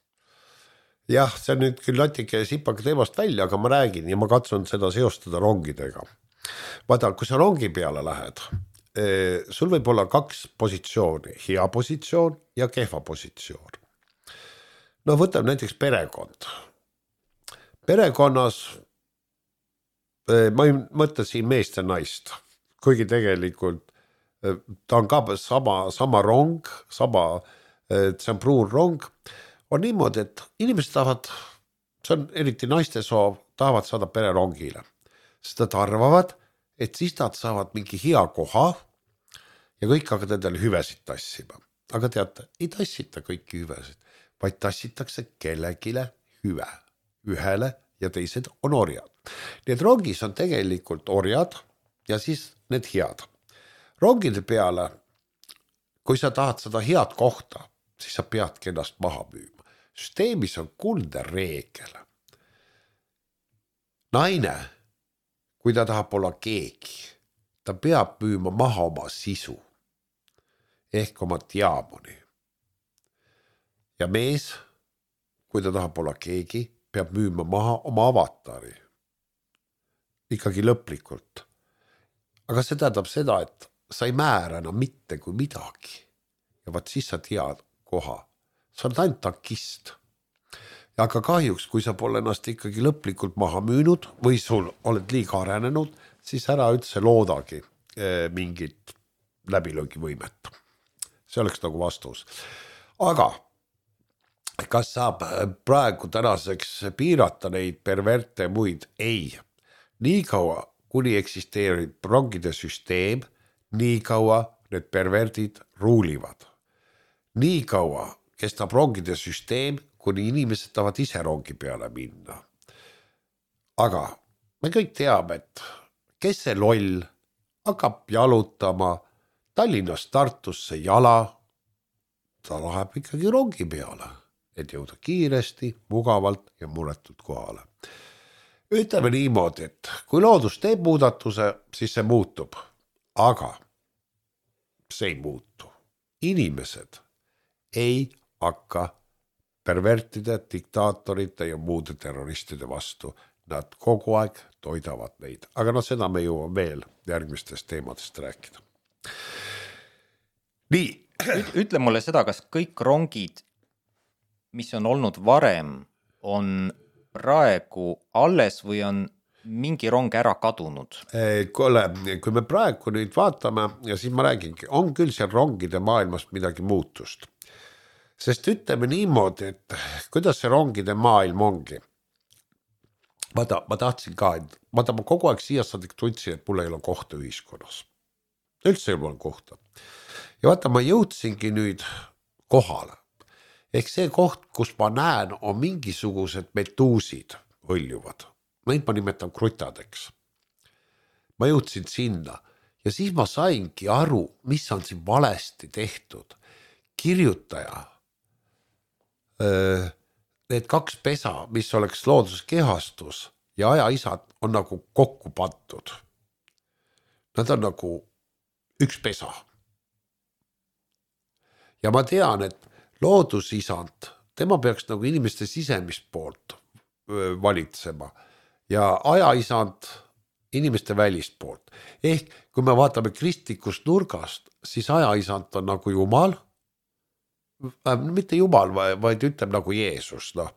Jah, see on nüüd küll natuke sipake teemast välja, aga ma räägin ja ma katsun seda seostada rongidega. Vaata, kui sa rongi peale lähed, sul võib olla kaks positsiooni, hea positsioon ja kehva positsioon. No võtab näiteks perekond. Perekonnas, ma ei mõtle siin meest ja naist, kuigi tegelikult ta on ka sama, sama rong, sama, see on pruun rong, on niimoodi, et inimesed tahavad, see on eriti naiste soov, tahavad saada pererongile. Sest nad arvavad, et siis nad saavad mingi hea koha ja kõik hakkavad endale hüvesid tassima. Aga teate, ei tassita kõiki hüvesid, vaid tassitakse kellegile hüve. Ühele ja teised on orjad. Need rongis on tegelikult orjad ja siis need head. Rongide peale, kui sa tahad seda head kohta, siis sa peadki ennast maha müüma. Süsteemis on kuldne reegel. Naine, kui ta tahab olla keegi, ta peab müüma maha oma sisu ehk oma diamoni. Ja mees, kui ta tahab olla keegi, peab müüma maha oma avatari. Ikkagi lõplikult. Aga see tähendab seda, et sa ei määra enam mitte kui midagi. Ja vaat siis sa tead koha. Sa oled ainult tankist. Ja aga kahjuks, kui sa pole ennast ikkagi lõplikult maha müünud või sul oled liiga arenenud, siis ära üldse loodagi mingit läbilõgivõimet. See oleks nagu vastus. Aga kas saab praegu tänaseks piirata neid perverte muid? Ei. Nii kaua, kuni eksisteerib rongide süsteem, nii kaua need perverdid ruulivad. Nii kaua kestab rongide süsteem, kuni inimesed tahavad ise rongi peale minna. Aga me kõik teame, et kes see loll hakkab jalutama Tallinnast Tartusse jala, ta läheb ikkagi rongi peale, et jõuda kiiresti, mugavalt ja muretult kohale. Ütleme niimoodi, et kui loodus teeb muudatuse, siis see muutub, aga see ei muutu. Inimesed ei hakka pervertide, diktaatorite ja muude terroristide vastu. Nad kogu aeg toidavad neid, aga no seda me jõuame veel järgmistest teemadest rääkida. Nii. Ütle mulle seda, kas kõik rongid, mis on olnud varem, on praegu alles või on mingi rong ära kadunud? Kuule, kui me praegu nüüd vaatame ja siis ma räägingi, on küll seal rongide maailmas midagi muutust. Sest ütleme niimoodi, et kuidas see rongide maailm ongi. Vaata, ma tahtsin ka, et vaata, ma kogu aeg siia saadik tundsin, et mul ei ole kohta ühiskonnas. Üldse ei ole kohta. Ja vaata, ma jõudsingi nüüd kohale. Ehk see koht, kus ma näen, on mingisugused metuusid õljuvad. Neid ma nimetan krutadeks. Ma jõudsin sinna ja siis ma saingi aru, mis on siin valesti tehtud. Kirjutaja, need kaks pesa, mis oleks looduskehastus ja ajaisad on nagu kokku pandud. Nad on nagu üks pesa. Ja ma tean, et loodusisand, tema peaks nagu inimeste sisemist poolt valitsema ja ajaisand inimeste välist poolt. Ehk kui me vaatame kristlikust nurgast, siis ajaisand on nagu Jumal, mitte Jumal, vaid ütleb nagu Jeesus, no,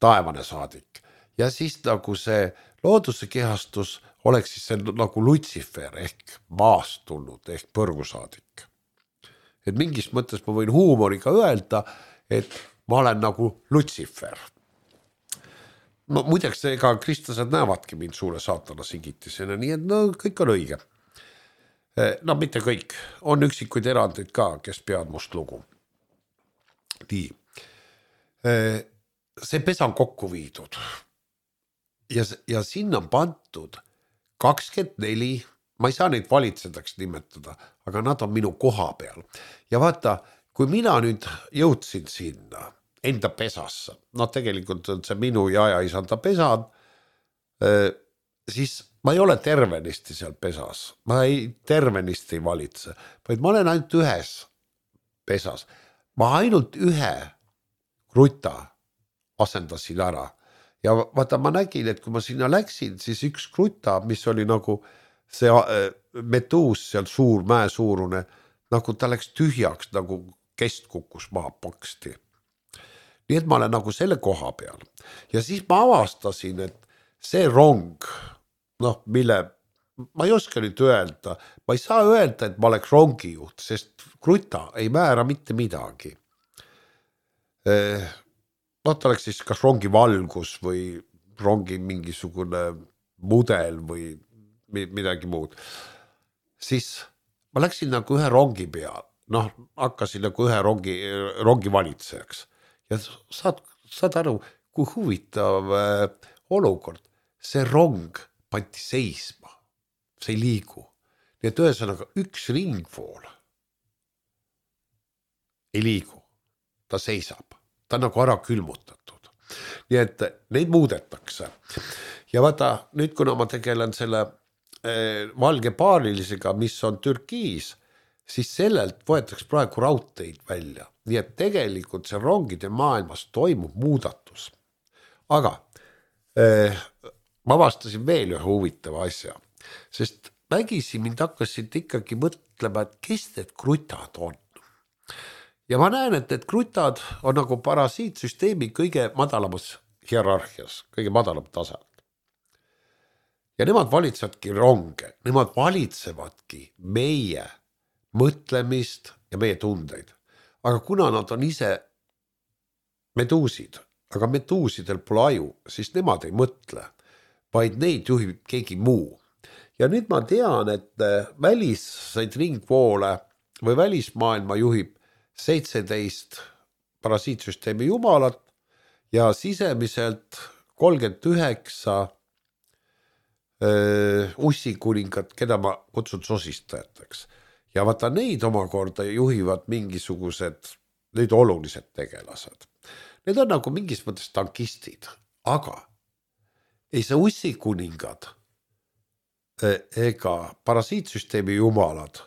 taevane saadik. Ja siis nagu see looduse kehastus oleks siis see nagu Lutsifer ehk maast tulnud ehk põrgusaadik. Et mingis mõttes ma võin huumoriga öelda, et ma olen nagu Lutsifer. No, muideks ega kristlased näevadki mind suure saatana sigitisena, nii et no kõik on õige. No mitte kõik, on üksikuid erandeid ka, kes peavad must lugu. Nii. See pesa on kokku viidud ja, ja sinna on pantud kakskümmend neli, ma ei saa neid valitsedaks nimetada, aga nad on minu koha peal. Ja vaata, kui mina nüüd jõudsin sinna enda pesasse, no tegelikult on see minu ja ajaisanda pesad, siis ma ei ole tervenisti seal pesas, ma ei tervenisti ei valitse, vaid ma olen ainult ühes pesas. Ma ainult ühe kruta asendasin ära ja vaata, ma nägin, et kui ma sinna läksin, siis üks kruta, mis oli nagu see metuus seal suur, mäe suurune, nagu ta läks tühjaks, nagu kest kukkus maha paksti. Nii et ma olen nagu selle koha peal. Ja siis ma avastasin, et see rong, noh, mille ma ei oska nüüd öelda, ma ei saa öelda, et ma oleks rongijuht, sest kruta ei määra mitte midagi. No ta oleks siis kas rongi valgus või rongi mingisugune mudel või midagi muud. Siis ma läksin nagu ühe rongi peal, noh, hakkasin nagu ühe rongi, rongi valitsejaks. Ja saad, saad aru, kui huvitav olukord, see rong pandi seisma. See ei liigu. Nii et ühesõnaga üks ringvool ei liigu. Ta seisab. Ta on nagu ära külmutatud. Nii et neid muudetakse. Ja vaata, nüüd kuna ma tegelen selle eh, valge paarilisega, mis on Türkiis, siis sellelt võetakse praegu raudteid välja. Nii et tegelikult see rongide maailmas toimub muudatus. Aga eh, ma vastasin veel ühe huvitava asja. Sest vägisi mind hakkasid ikkagi mõtlema, et kes need krutad on. Ja ma näen, et need krutad on nagu parasiitsüsteemi kõige madalamas hierarhias, kõige madalam tasand. Ja nemad valitsevadki ronge, nemad valitsevadki meie mõtlemist ja meie tundeid. Aga kuna nad on ise meduusid, aga meduusidel pole aju, siis nemad ei mõtle, vaid neid juhib keegi muu. Ja nüüd ma tean, et väliseid ringvoole või välismaailma juhib seitseteist parasiitsüsteemi jumalat ja sisemiselt kolmkümmend üheksa ussikuningat, keda ma kutsun sosistajateks. ja vaata neid omakorda juhivad mingisugused nüüd olulised tegelased. Need on nagu mingis mõttes tankistid, aga ei see ussikuningad ega parasiitsüsteemi jumalad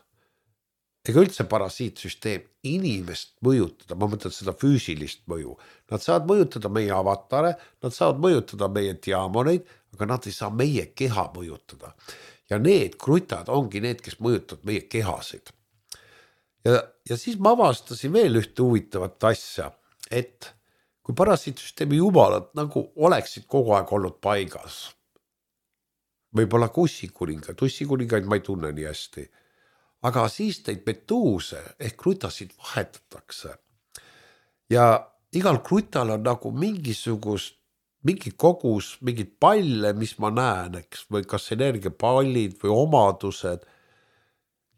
ega üldse parasiitsüsteem inimest mõjutada, ma mõtlen seda füüsilist mõju. Nad saavad mõjutada meie avatare, nad saavad mõjutada meie diamoneid, aga nad ei saa meie keha mõjutada. Ja need krutad ongi need, kes mõjutavad meie kehasid. Ja, ja siis ma avastasin veel ühte huvitavat asja, et kui parasiitsüsteemi jumalad nagu oleksid kogu aeg olnud paigas, võib-olla ka ussikuningaid, ussikuningaid ma ei tunne nii hästi, aga siis neid metuuse ehk krutasid vahetatakse. Ja igal krutal on nagu mingisugust mingi kogus, mingid palle, mis ma näen, eks, või kas energiapallid või omadused.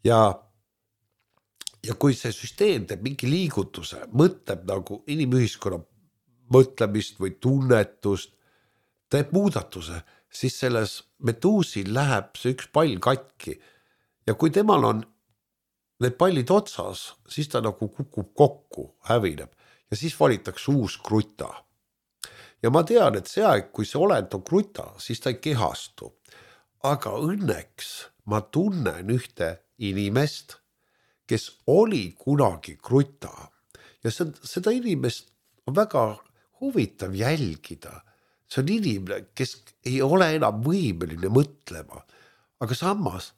Ja, ja kui see süsteem teeb mingi liigutuse, mõtleb nagu inimühiskonna mõtlemist või tunnetust, teeb muudatuse, siis selles metuusil läheb see üks pall katki. Ja kui temal on need pallid otsas, siis ta nagu kukub kokku, hävineb ja siis valitakse uus kruta. Ja ma tean, et see aeg, kui see olend on kruta, siis ta ei kehastu. Aga õnneks ma tunnen ühte inimest, kes oli kunagi kruta. Ja seda inimest on väga huvitav jälgida. See on inimene, kes ei ole enam võimeline mõtlema. Aga samas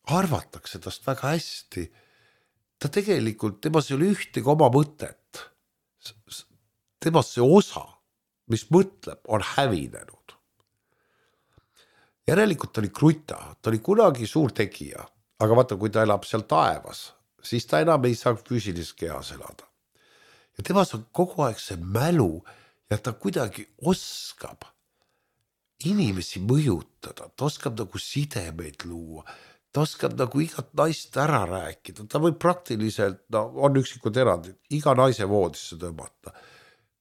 arvatakse tast väga hästi. Ta tegelikult, temas ei ole ühtegi oma mõtet. Temas see osa, mis mõtleb, on hävinenud. Järelikult ta oli kruta, ta oli kunagi suur tegija, aga vaata, kui ta elab seal taevas, siis ta enam ei saa füüsilises kehas elada. Ja temas on kogu aeg see mälu ja ta kuidagi oskab inimesi mõjutada, ta oskab nagu sidemeid luua, ta oskab nagu igat naist ära rääkida, ta võib praktiliselt, no on üksikud erandid, iga naise voodisse tõmmata.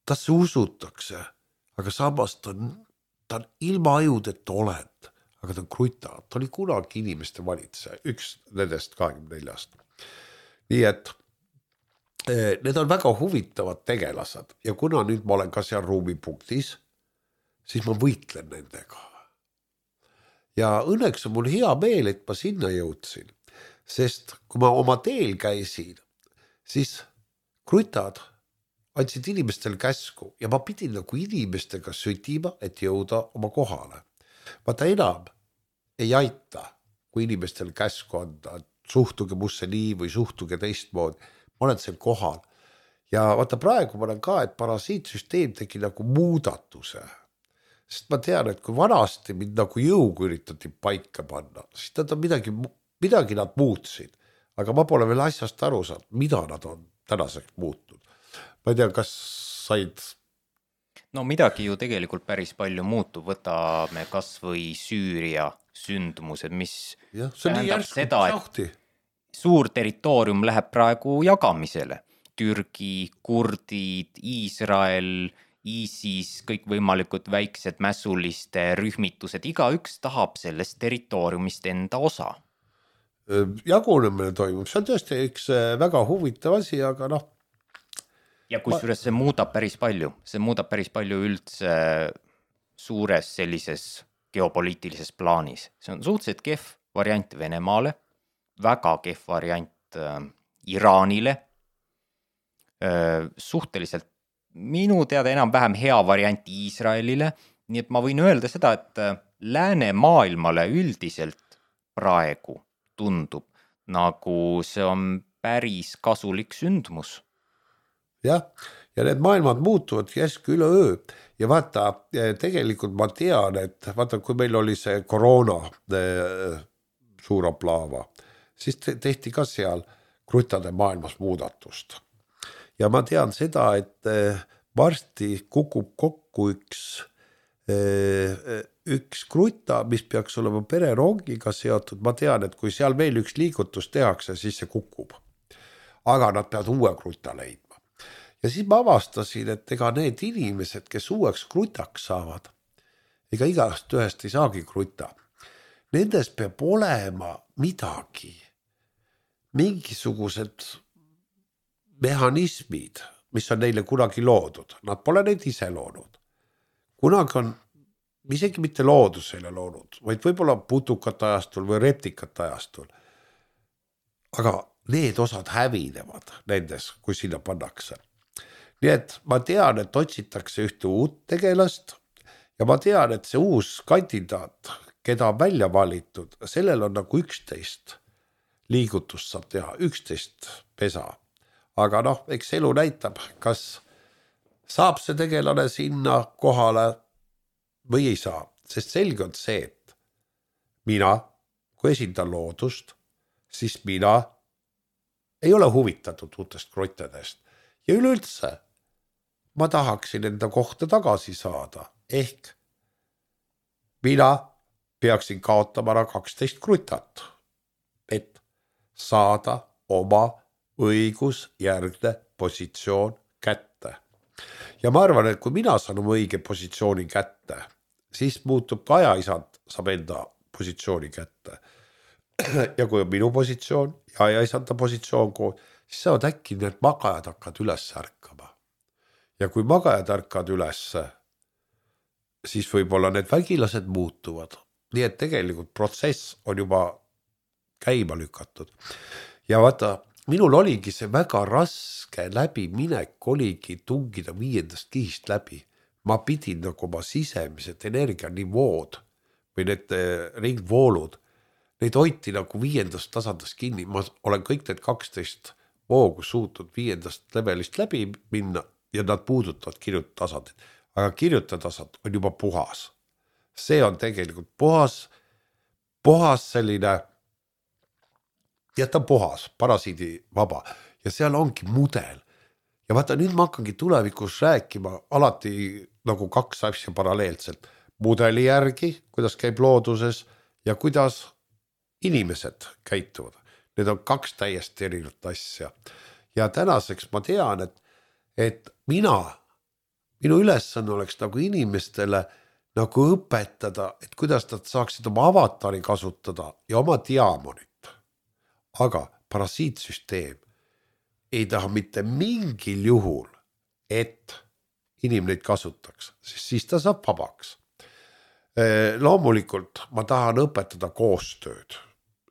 Tasse usutakse, aga samas ta on, ta on ilma ajudeta olend, aga ta on kruta, ta oli kunagi inimeste valitseja, üks nendest kahekümne neljast. Nii et need on väga huvitavad tegelased ja kuna nüüd ma olen ka seal ruumipunktis, siis ma võitlen nendega. Ja õnneks on mul hea meel, et ma sinna jõudsin, sest kui ma oma teel käisin, siis krutad andsid inimestel käsku ja ma pidin nagu inimestega sütima, et jõuda oma kohale. Vaata enam ei aita, kui inimestel käsku anda, suhtuge musse nii või suhtuge teistmoodi. Ma olen seal kohal. Ja vaata praegu ma olen ka, et parasiitsüsteem tegi nagu muudatuse. Sest ma tean, et kui vanasti mind nagu jõugu üritati paika panna, siis nad on midagi, midagi nad muutsid. Aga ma pole veel asjast aru saanud, mida nad on tänaseks muutnud. Ma ei tea, kas said... No midagi ju tegelikult päris palju muutub, võtame kas või Süüria sündmused, mis ja, tähendab seda, et suur territoorium läheb praegu jagamisele. Türgi, kurdid, Iisrael, ISIS, kõik võimalikud väiksed mässuliste rühmitused, igaüks tahab sellest territooriumist enda osa. Jagunemine toimub, see on tõesti üks väga huvitav asi, aga noh, ja kusjuures see muudab päris palju, see muudab päris palju üldse suures sellises geopoliitilises plaanis. See on suhteliselt kehv variant Venemaale, väga kehv variant äh, Iraanile, äh, suhteliselt minu teada enam vähem hea variant Iisraelile, nii et ma võin öelda seda, et äh, lääne maailmale üldiselt praegu tundub, nagu see on päris kasulik sündmus. Jah, ja need maailmad muutuvad järsku üle öö ja vaata, tegelikult ma tean, et vaata, kui meil oli see koroona suur aplaava, siis tehti ka seal krutade maailmas muudatust. Ja ma tean seda, et varsti kukub kokku üks, üks kruta, mis peaks olema pererongiga seotud. Ma tean, et kui seal veel üks liigutus tehakse, siis see kukub. Aga nad peavad uue kruta leidma. Ja siis ma avastasin, et ega need inimesed, kes uueks krutaks saavad, ega igast ühest ei saagi kruta. Nendes peab olema midagi, mingisugused mehhanismid, mis on neile kunagi loodud. Nad pole neid ise loonud. Kunagi on isegi mitte loodus neile loonud, vaid võib-olla putukate ajastul või reptikate ajastul. Aga need osad hävinevad nendes, kui sinna pannakse. Nii et ma tean, et otsitakse ühte uut tegelast ja ma tean, et see uus kandidaat, keda on välja valitud, sellel on nagu üksteist liigutust saab teha, üksteist pesa. Aga noh, eks elu näitab, kas saab see tegelane sinna kohale või ei saa. Sest selge on see, et mina, kui esindan loodust, siis mina ei ole huvitatud uutest krottedest. Ja üleüldse ma tahaksin enda kohta tagasi saada. Ehk mina peaksin kaotama ära kaksteist krutat, et saada oma õigusjärgne positsioon kätte. Ja ma arvan, et kui mina saan oma õige positsiooni kätte, siis muutub ka ajaisand saab enda positsiooni kätte. Ja kui on minu positsioon ja ajaisanda positsioon koos, siis saavad äkki need magajad hakkad üles ärkama. Ja kui magajad ärkad üles, siis võib-olla need vägilased muutuvad. Nii et tegelikult protsess on juba käima lükatud. Ja vaata, minul oligi see väga raske läbiminek, oligi tungida viiendast kihist läbi. Ma pidin nagu oma sisemised energianivood või need ringvoolud, neid hoiti nagu viiendast tasandast kinni. Ma olen kõik need kaksteist voogu suutnud viiendast levelist läbi minna ja nad puudutavad kirjutasandit. Aga kirjutatasand on juba puhas. See on tegelikult puhas, puhas selline, ja ta on puhas, parasiidi vaba. Ja seal ongi mudel. Ja vaata, nüüd ma hakkangi tulevikus rääkima alati nagu kaks asja paralleelselt. Mudeli järgi, kuidas käib looduses ja kuidas inimesed käituvad. Need on kaks täiesti erinevat asja. Ja tänaseks ma tean, et, et mina, minu ülesanne oleks nagu inimestele nagu õpetada, et kuidas nad saaksid oma avatari kasutada ja oma diamonit. Aga parasiitsüsteem ei taha mitte mingil juhul, et inimene neid kasutaks, sest siis ta saab vabaks. Loomulikult ma tahan õpetada koostööd,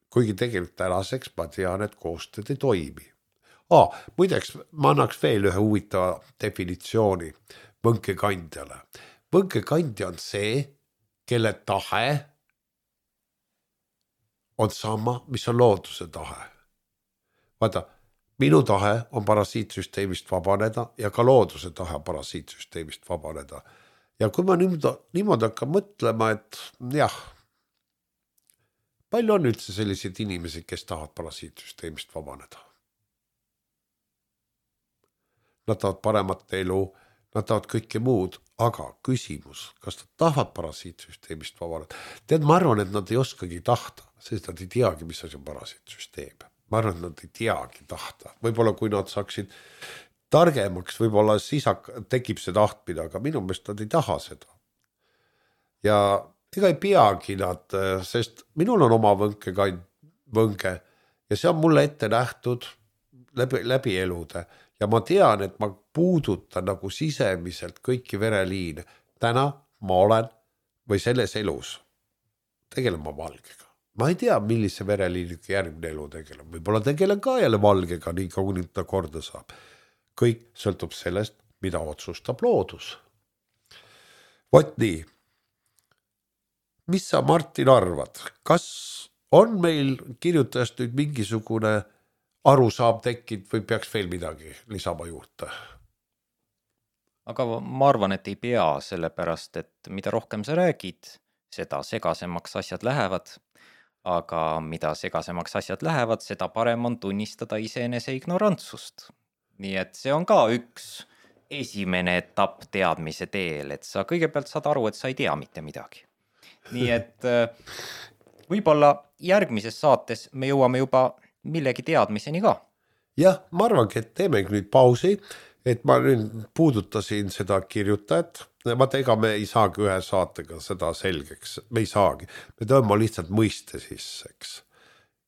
kuigi tegelikult tänaseks ma tean, et koostööd ei toimi. Ah, muideks, ma annaks veel ühe huvitava definitsiooni võnkekandjale. Võnkekandja on see, kelle tahe on sama, mis on looduse tahe. Vaata, minu tahe on parasiitsüsteemist vabaneda ja ka looduse tahe parasiitsüsteemist vabaneda. Ja kui ma niimoodi, niimoodi hakkan mõtlema, et jah, palju on üldse sellised inimesed, kes tahavad parasiitsüsteemist vabaneda? Nad tahavad paremat elu, nad tahavad kõike muud, aga küsimus, kas nad tahavad parasiitsüsteemist vabaneda? Tead, ma arvan, et nad ei oskagi tahta, sest nad ei teagi, mis asi on parasiitsüsteem. Ma arvan, et nad ei teagi tahta. Võib-olla kui nad saaksid targemaks, võib-olla siis tekib see tahtmine, aga minu meelest nad ei taha seda. Ja ega ei peagi nad, sest minul on oma võnke, võnke ja see on mulle ette nähtud läbi, läbi elude. Ja ma tean, et ma puudutan nagu sisemiselt kõiki vereliine. Täna ma olen või selles elus tegelen ma valgega. Ma ei tea, millise vereliiniga järgmine elu tegelen. Võib-olla tegelen ka jälle valgega, nii kui nüüd ta korda saab. Kõik sõltub sellest, mida otsustab loodus. Vot nii. Mis sa, Martin, arvad? Kas on meil kirjutajast nüüd mingisugune aru saab tekkinud või peaks veel midagi lisama juurde? Aga ma arvan, et ei pea, sellepärast, et mida rohkem sa räägid, seda segasemaks asjad lähevad. Aga mida segasemaks asjad lähevad, seda parem on tunnistada iseenese ignorantsust. Nii et see on ka üks esimene etapp teadmise teel, et sa kõigepealt saad aru, et sa ei tea mitte midagi. Nii et võib-olla järgmises saates me jõuame juba millegi teadmiseni ka. Jah, ma arvangi, et teemegi nüüd pausi, et ma nüüd puudutasin seda kirjutajat. Vaata, ega me ei saagi ühe saatega seda selgeks, me ei saagi. Me tõmbame lihtsalt mõiste sisseks.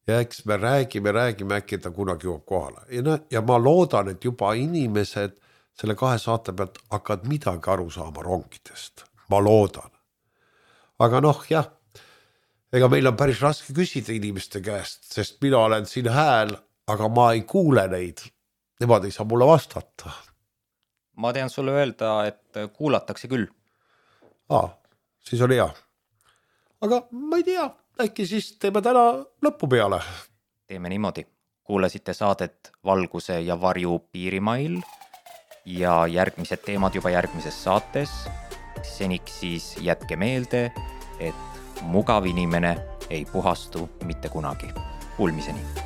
ja eks me räägime, räägime, äkki ta kunagi jõuab kohale. Ja, ja ma loodan, et juba inimesed selle kahe saate pealt hakkavad midagi aru saama rongidest. Ma loodan. Aga noh, jah, ega meil on päris raske küsida inimeste käest, sest mina olen siin hääl, aga ma ei kuule neid. Nemad ei saa mulle vastata. Ma tean sulle öelda, et kuulatakse küll. Aa, siis oli hea. Aga ma ei tea, äkki siis teeme täna lõppu peale. Teeme niimoodi. Kuulasite saadet Valguse ja varju piirimail ja järgmised teemad juba järgmises saates. Seniks siis jätke meelde, et mugav inimene ei puhastu mitte kunagi. Kuulmiseni.